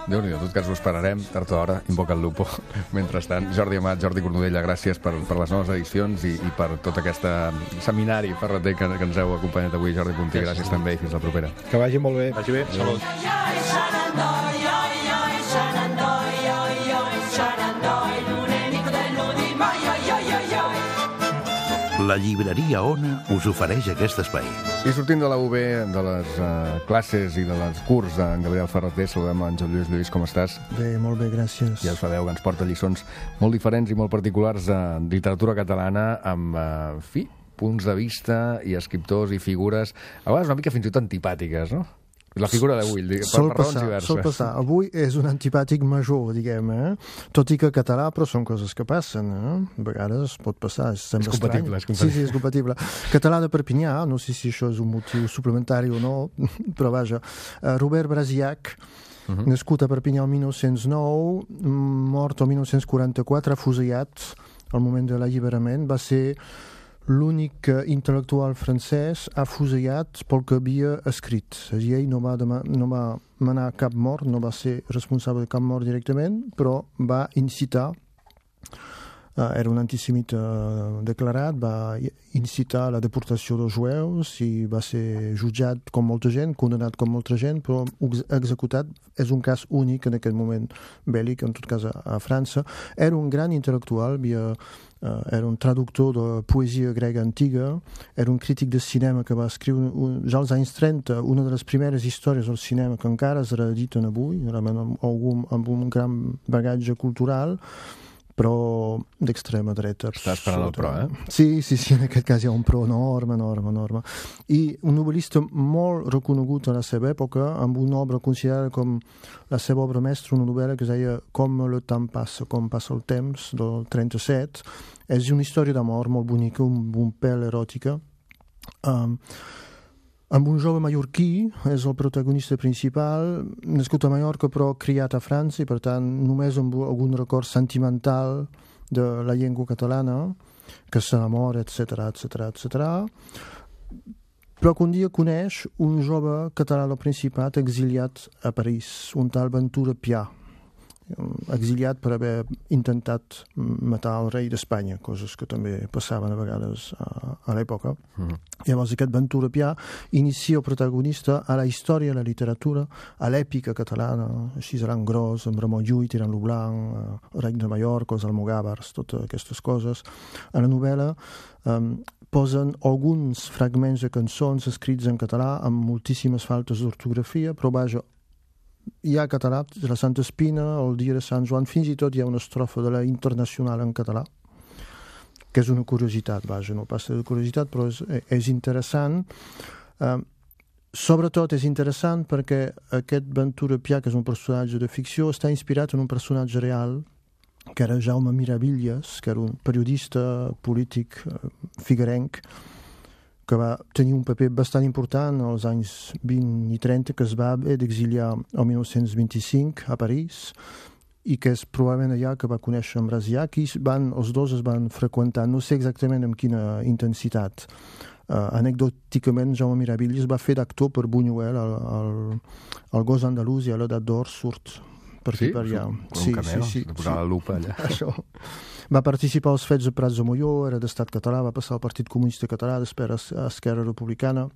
Déu-n'hi-do, en tot cas ho esperarem, tard o d'hora, Invoca el Lupo. Mentrestant, Jordi Amat, Jordi Cornudella, gràcies per les noves edicions i per tot aquest seminari ferrater que ens heu acompanyat avui. Jordi Puntí, gràcies també, i fins la propera. Que vagi molt bé. Vagi bé. Salut. La llibreria Ona us ofereix aquest espai. I sortint de la UB, de les classes i de les curs d'en Gabriel Ferrater, saludem en Joan Lluís. Com estàs? Bé, molt bé, gràcies. Ja us sabeu que ens porta lliçons molt diferents i molt particulars de literatura catalana, amb, punts de vista i escriptors i figures, a vegades una mica fins i tot antipàtiques, no? La figura d'avui, per raons diverses. Sol passar. Avui és un antipàtic major, diguem, tot i que català, però són coses que passen, A vegades pot passar, sembla estrany. Sí, és compatible. Català de Perpinyà, no sé si això és un motiu suplementari o no, però vaja. Robert Brasiac, nascut a Perpinyà el 1909, mort el 1944, afusellat al moment de l'alliberament, va ser l'únic intel·lectual francès afusellat pel que havia escrit. La llei no va manar cap mort, no va ser responsable de cap mort directament, però va incitar era un antisemita declarat, va incitar la deportació dels jueus i va ser jutjat com molta gent, condemnat com molta gent, però executat. És un cas únic en aquest moment bèl·lic, en tot cas a França. Era un gran intel·lectual, era un traductor de poesia grega antiga, era un crític de cinema que va escriure ja als anys 30 una de les primeres històries del cinema que encara es reediten avui, amb un gran bagatge cultural, però d'extrema dreta. Està esperant el pro, Sí, en aquest cas hi ha un pro enorme. I un novel·lista molt reconegut a la seva època, amb una obra considerada com la seva obra mestra, una novel·la que es deia Com le temps passa, com passa el temps, del 37. És una història d'amor molt bonica, un pèl eròtica, amb un jove mallorquí, és el protagonista principal, nascut a Mallorca però criat a França i per tant només amb algun record sentimental de la llengua catalana, que s'enamora, etc. Però que un dia coneix un jove català del Principat exiliat a París, un tal Ventura Pià, exiliat per haver intentat matar el rei d'Espanya, coses que també passaven a vegades a l'època. Llavors aquest Ventura Pià inicia el protagonista a la història, a la literatura, a l'èpica catalana, així seran gros, amb Ramon Llull, Tirant lo Blanc, Reig de Mallorca, els Almogàvers, totes aquestes coses. A la novel·la posen alguns fragments de cançons escrits en català amb moltíssimes faltes d'ortografia, però vaja, hi ha català, la Santa Espina, el dia de Sant Joan, fins i tot hi ha una estrofa de la Internacional en català, que és una curiositat, vaja, no passa de curiositat, però és interessant. Sobretot és interessant perquè aquest Ventura Pià, que és un personatge de ficció, està inspirat en un personatge real, que era Jaume Miravitlles, que era un periodista polític figuerenc, que va tenir un paper bastant important als anys 20 i 30, que es va haver d'exiliar el 1925 a París i que és probablement allà que va conèixer en Brasiac i els dos es van freqüentar, no sé exactament amb quina intensitat. Anecdòticament, Jaume Miravitlles va fer d'actor per Buñuel, el gos andalús, i a l'edat d'or surt per aquí per allà. Un cameo, de posar la lupa allà. Això. Va participar als fets de Prats de Molló, era d'estat català, va passar al Partit Comunista Català, després a Esquerra Republicana.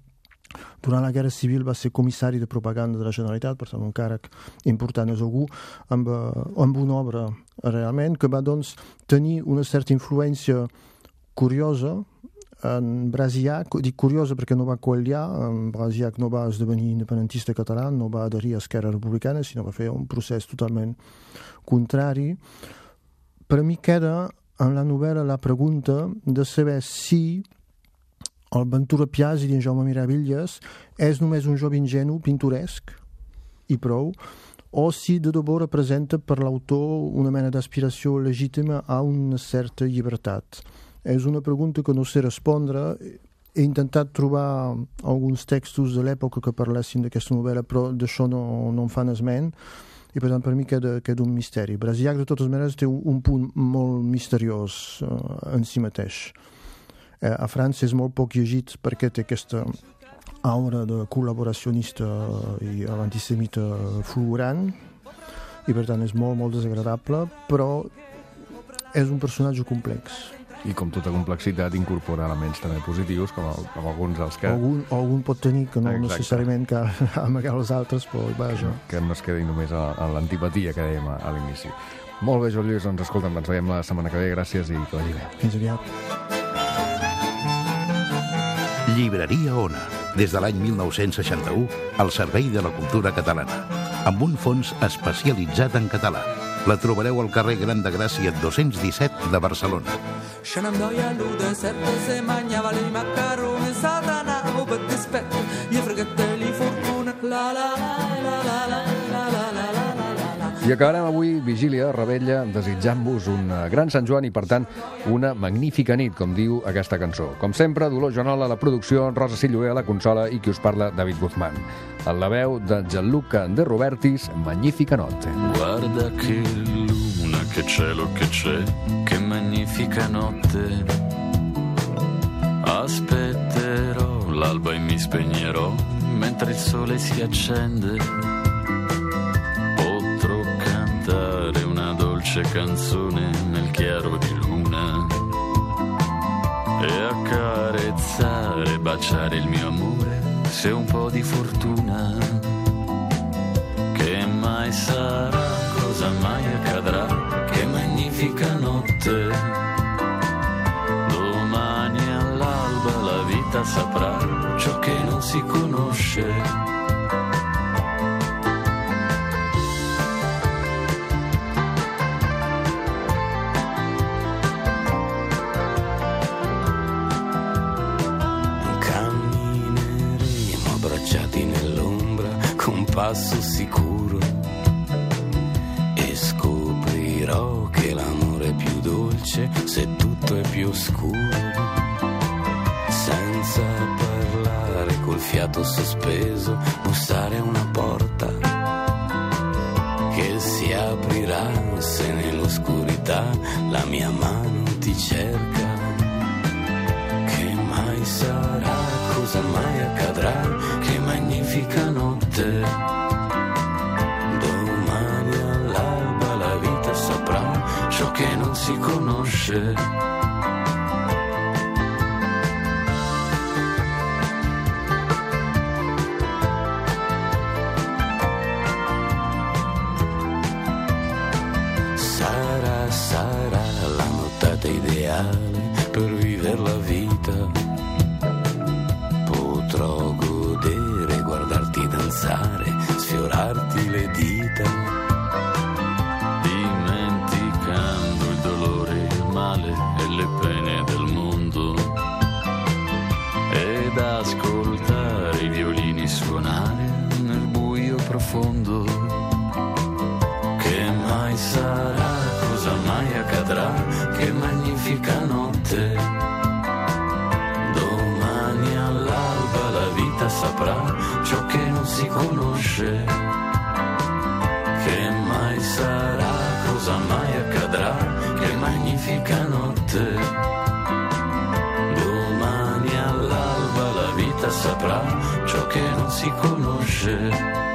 Durant la Guerra Civil va ser comissari de propaganda de la Generalitat, per tant un càrrec important és algú, amb una obra realment que va doncs, tenir una certa influència curiosa en Brasiac, dic curiosa perquè no va qualiar, en Brasiac no va esdevenir independentista català, no va adherir a Esquerra Republicana, sinó va fer un procés totalment contrari. Per a mi queda en la novel·la la pregunta de saber si el Ventura Pià, és a dir, en Jaume Miravitlles, és només un jove ingenu, pintoresc, i prou, o si de debò representa per l'autor una mena d'aspiració legítima a una certa llibertat. És una pregunta que no sé respondre. He intentat trobar alguns textos de l'època que parlessin d'aquesta novel·la, però d'això no en fan esment, i per tant per mi queda un misteri. Brasiac de totes maneres té un punt molt misteriós en si mateix. A França és molt poc llegit perquè té aquesta aura de col·laboracionista i antisemita fulgurant i per tant és molt desagradable, però és un personatge complex. I com tota complexitat incorpora elements també positius, com alguns dels que... Algun pot tenir, que no necessàriament que amagar els altres, però vaja. Que no es quedi només a l'antipatia que dèiem a l'inici. Molt bé, Joan Lluís, doncs escolta'm, ens veiem la setmana que ve, gràcies i que vagi bé. Fins aviat. Llibreria Ona, des de l'any 1961, al servei de la cultura catalana, amb un fons especialitzat en català. La trobareu al carrer Gran de Gràcia 217 de Barcelona. Se nem doia deserto, se mangiava i macaroni, satana, per dispetto, gli fregateli fortuna, la la la la la la la la la la. I acabarem avui, Vigília, Rebella, desitjant-vos un gran Sant Joan i, per tant, una magnífica nit, com diu aquesta cançó. Com sempre, Dolors Joanola a la producció, Rosa Silloé a la consola i qui us parla, David Guzmán. En la veu de Gianluca De Robertis, Magnifica Notte. Guarda che luna, che cielo che c'è, che magnifica notte. Aspetterò l'alba e mi spegnerò mentre il sole si accende. Potrò cantare una dolce canzone nel chiaro di luna. baciare il mio amore, se un po' di fortuna. Che mai sarà, cosa mai accadrà, che magnifica notte. Domani all'alba la vita saprà ciò che non si conosce. Passo sicuro e scoprirò che l'amore è più dolce se tutto è più oscuro. Senza parlare, col fiato sospeso, bussare a una porta che si aprirà se nell'oscurità la mia mano ti cerca. Che mai sarà, cosa mai accadrà, che magnifica notte. Ciò che non si conosce. Sarà la nottata ideale per vivere la vita. Potrò godere, guardarti danzare, sfiorarti le dita. E le pene del mondo, ed ascoltare i violini suonare nel buio profondo. Che mai sarà, cosa mai accadrà, che magnifica notte. Domani all'alba la vita saprà ciò che non si conosce. Che mai sarà, cosa mai accadrà, che magnifica notte. Domani all'alba la vita saprà ciò che non si conosce.